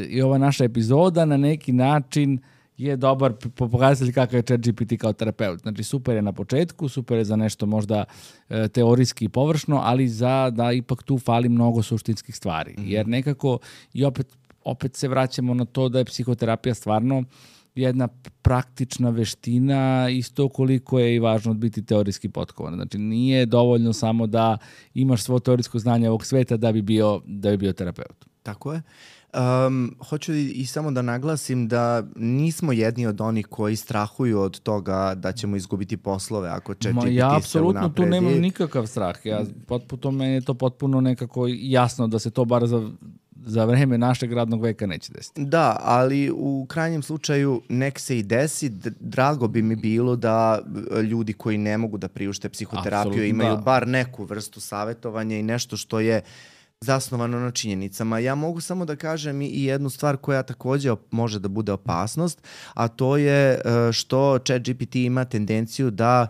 i ova naša epizoda na neki način je dobar pokazatelj kakav je ChatGPT kao terapeut. Znači super je na početku, super je za nešto možda teorijski i površno, ali da ipak tu fali mnogo suštinskih stvari. Jer nekako i opet se vraćamo na to da je psihoterapija stvarno jedna praktična veština, isto koliko je i važno biti teorijski potkovan. Znači nije dovoljno samo da imaš svo teorijsko znanje ovog sveta da bi bio terapeut. Tako je. Hoću i samo da naglasim da nismo jedni od onih koji strahuju od toga da ćemo izgubiti poslove ako ChatGPT se unapredi. Ja apsolutno tu nemam nikakav strah. Meni je to potpuno nekako jasno da se to bar za vreme našeg radnog veka neće desiti. Da, ali u krajnjem slučaju nek se i desi. Drago bi mi bilo da ljudi koji ne mogu da priušte psihoterapiju imaju bar neku vrstu savjetovanja i nešto što je zasnovano na činjenicama. Ja mogu samo da kažem i jednu stvar koja također može da bude opasnost, a to je što ChatGPT ima tendenciju da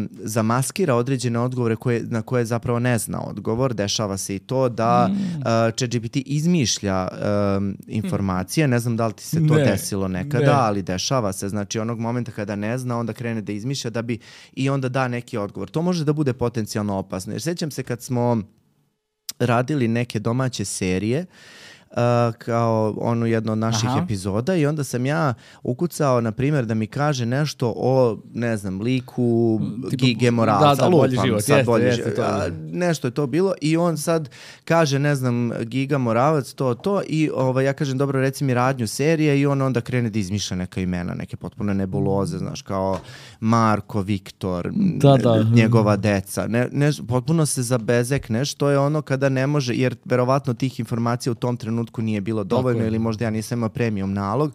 zamaskira određene odgovore na koje zapravo ne zna odgovor. Dešava se i to da ChatGPT izmišlja informacije. Ne znam da li ti se to desilo nekada, ali dešava se. Znači onog momenta kada ne zna, onda krene da izmišlja da bi i onda da neki odgovor. To može da bude potencijalno opasno. Jer sjećam se kad smo radili neke domaće serije kao jednu od naših epizoda i onda sam ja ukucao, na primjer, da mi kaže nešto o, ne znam, liku Gige Moralca. Da, bolji život. Nešto je to bilo i on sad kaže, ne znam, Giga Moravac, to i ja kažem, dobro, reci mi radnju serije i on onda krene da izmišlja neka imena, neke potpuno nebuloze, znaš, kao Marko, Viktor, njegova deca. Potpuno se zabezekne, što je ono kada ne može, jer verovatno tih informacija u tom trenutku nije bilo dovoljno ili možda ja nisam imao premium nalog,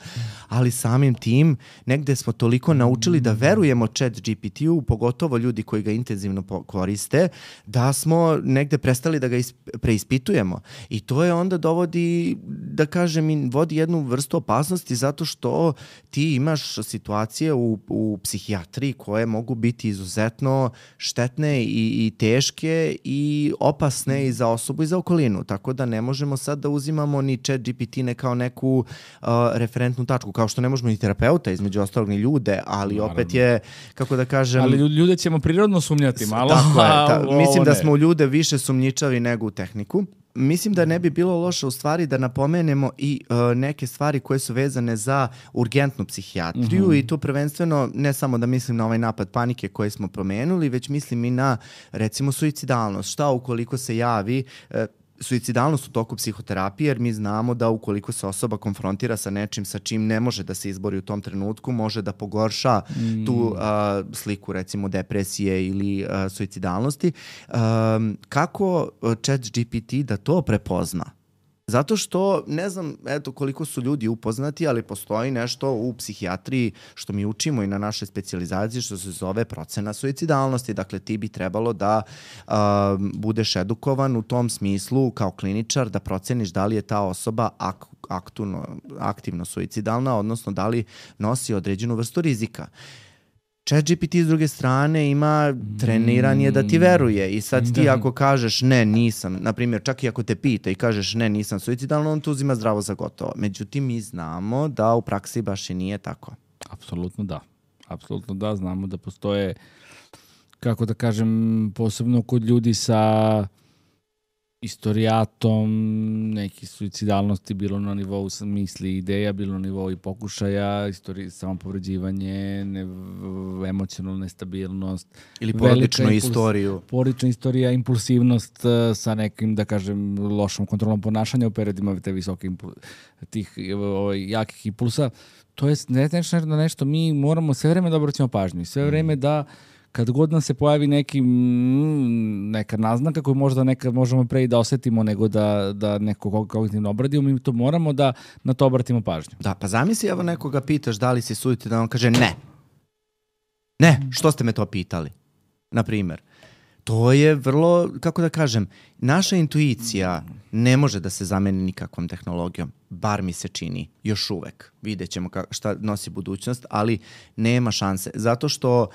ali samim tim negde smo toliko naučili da verujemo ChatGPT-u, pogotovo ljudi koji ga intenzivno koriste, da smo negde prestali da ga preispitujemo. I to je onda dovodi, da kažem, vodi jednu vrstu opasnosti zato što ti imaš situacije u psihijatriji koje mogu biti izuzetno štetne i teške i opasne i za osobu i za okolinu. Tako da ne možemo sad da uzimamo ni ChatGPT ne kao neku referentnu tačku, kao što ne možemo ni terapeuta, između ostalog ni ljude, ali opet je, kako da kažem... Ali ljude ćemo prirodno sumnjati malo. Tako je, mislim da smo u ljude više sumnjičavi nego u tehniku. Mislim da ne bi bilo loše u stvari da napomenemo i neke stvari koje su vezane za urgentnu psihijatriju i to prvenstveno ne samo da mislim na ovaj napad panike koji smo promenuli, već mislim i na, recimo, suicidalnost. Šta ukoliko se javi suicidalnost u toku psihoterapije, jer mi znamo da ukoliko se osoba konfrontira sa nečim sa čim ne može da se izbori u tom trenutku, može da pogorša tu sliku, recimo, depresije ili suicidalnosti. Kako ChatGPT da to prepozna? Zato što, ne znam koliko su ljudi upoznati, ali postoji nešto u psihijatriji što mi učimo i na našoj specijalizaciji što se zove procena suicidalnosti. Dakle, ti bi trebalo da budeš edukovan u tom smislu kao kliničar, da proceniš da li je ta osoba aktivno suicidalna, odnosno da li nosi određenu vrstu rizika. ChatGPT s druge strane ima treniranje da ti veruje i sad ti ako kažeš ne, nisam, na primjer čak i ako te pita i kažeš ne, nisam suicidalno, on to uzima zdravo za gotovo. Međutim, mi znamo da u praksi baš i nije tako. Apsolutno da, znamo da postoje, kako da kažem, posebno kod ljudi sa istorijatom neki suicidalnosti, bilo na nivou misli i ideja, bilo na nivou i pokušaja, samopovređivanje, emocionalna nestabilnost. Ili porodičnu istoriju. Porodična istorija, impulsivnost sa nekim, da kažem, lošom kontrolom ponašanja u periodima te visoke tih jakih impulsa. To je nešto mi moramo sve vreme da obraćamo pažnju. Sve vreme da kad god nam se pojavi neka naznaka koju možda nekad možemo pre i da osetimo nego da neko kognitivno obradimo, mi to moramo da na to obratimo pažnju. Da, pa zamisli, evo nekoga pitaš da li si suicidan, on kaže ne. Ne, što ste me to pitali? Na primjer. To je vrlo, kako da kažem, naša intuicija ne može da se zameni nikakvom tehnologijom. Bar mi se čini, još uvek. Vidjet ćemo šta nosi budućnost, ali nema šanse. Zato što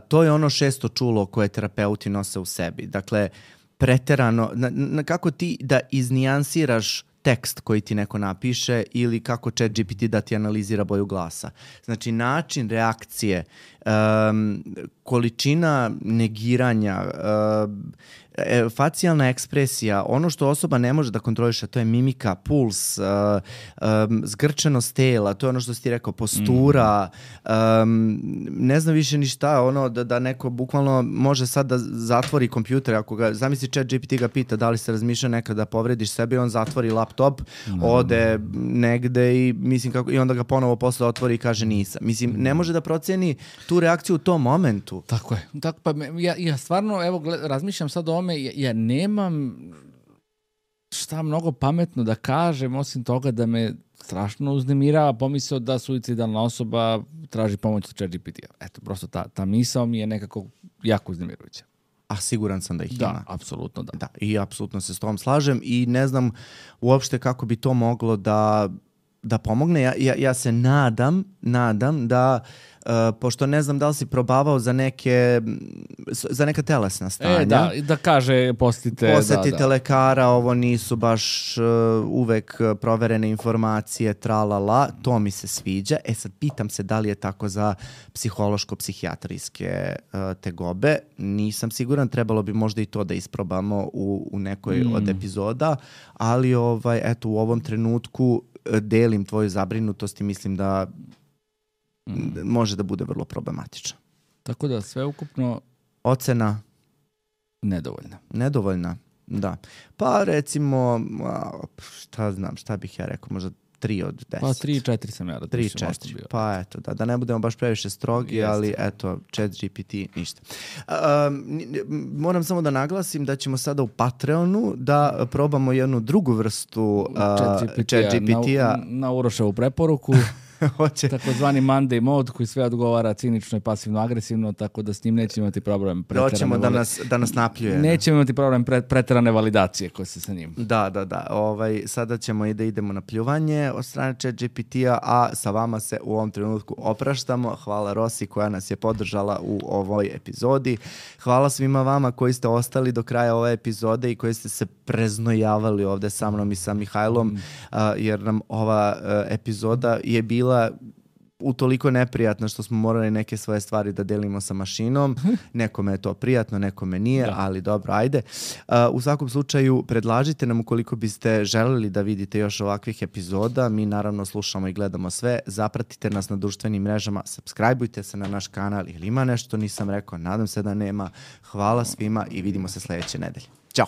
to je ono 6. čulo koje terapeuti nose u sebi. Dakle, preterano, kako ti da iznijansiraš tekst koji ti neko napiše ili kako ChatGPT da ti analizira boju glasa. Znači, način reakcije, količina negiranja, facijalna ekspresija, ono što osoba ne može da kontroliše, to je mimika, puls, zgrčenost tela, to je ono što si ti rekao, postura, ne znam više ni šta, ono da neko bukvalno može sad da zatvori kompjuter, ako ga, zamisli ChatGPT ga pita da li se razmišlja nekada da povrediš sebe, on zatvori laptop, ode negde i mislim i onda ga ponovo posle otvori i kaže nisam. Mislim, ne može da proceni tu reakciju u tom momentu. Tako je. Pa ja stvarno, evo, razmišljam sad o ovome, ja nemam šta mnogo pametno da kažem, osim toga da me strašno uznemirava pomisao da suicidalna osoba traži pomoć od ChatGPT-a. Eto, prosto ta misao mi je nekako jako uznemirujuća. A siguran sam da ih ima. Da, apsolutno da. Da, i apsolutno se s tom slažem i ne znam uopšte kako bi to moglo da pomogne. Ja se nadam da pošto ne znam da li si probavao za neka telesna stanja. Da kaže posetite lekara, ovo nisu baš uvek proverene informacije, tralala, to mi se sviđa. Sad pitam se da li je tako za psihološko-psihijatrijske tegobe. Nisam siguran, trebalo bi možda i to da isprobamo u nekoj od epizoda, ali eto, u ovom trenutku delim tvoju zabrinutost i mislim da može da bude vrlo problematično. Tako da sve ukupno ocena nedovoljna, da. Pa recimo, šta bih ja rekao, možda 3 od 10. Pa 3-4 sam ja radio. 3-4, pa eto, da ne budemo baš previše strogi, ali eto, ChatGPT, ništa. Moram samo da naglasim da ćemo sada u Patreonu da probamo jednu drugu vrstu ChatGPT-a. Na Uroševu preporuku. Takozvani Monday mode koji sve odgovara cinično i pasivno agresivno, tako da s njim nećemo imati problem hoćemo da nas napljuje. Nećemo imati problem preterane validacije koje se sa njim. Da. Sada ćemo i da idemo na pljuvanje od strane ChatGPT-a, a sa vama se u ovom trenutku opraštamo. Hvala Rosi koja nas je podržala u ovoj epizodi. Hvala svima vama koji ste ostali do kraja ove epizode i koji ste se preznojavali ovde sa mnom i sa Mihajlom, jer nam ova epizoda je bila utoliko neprijatno što smo morali neke svoje stvari da delimo sa mašinom. Nekome je to prijatno, nekome nije, ali dobro, ajde. U svakom slučaju, predlažite nam ukoliko biste želeli da vidite još ovakvih epizoda. Mi naravno slušamo i gledamo sve. Zapratite nas na društvenim mrežama, subscribeujte se na naš kanal ili ima nešto nisam rekao, nadam se da nema. Hvala svima i vidimo se sledeće nedelje. Ćao!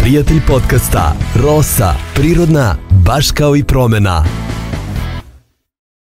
Prijatelj podcasta Rosa, prirodna, baš kao i promena.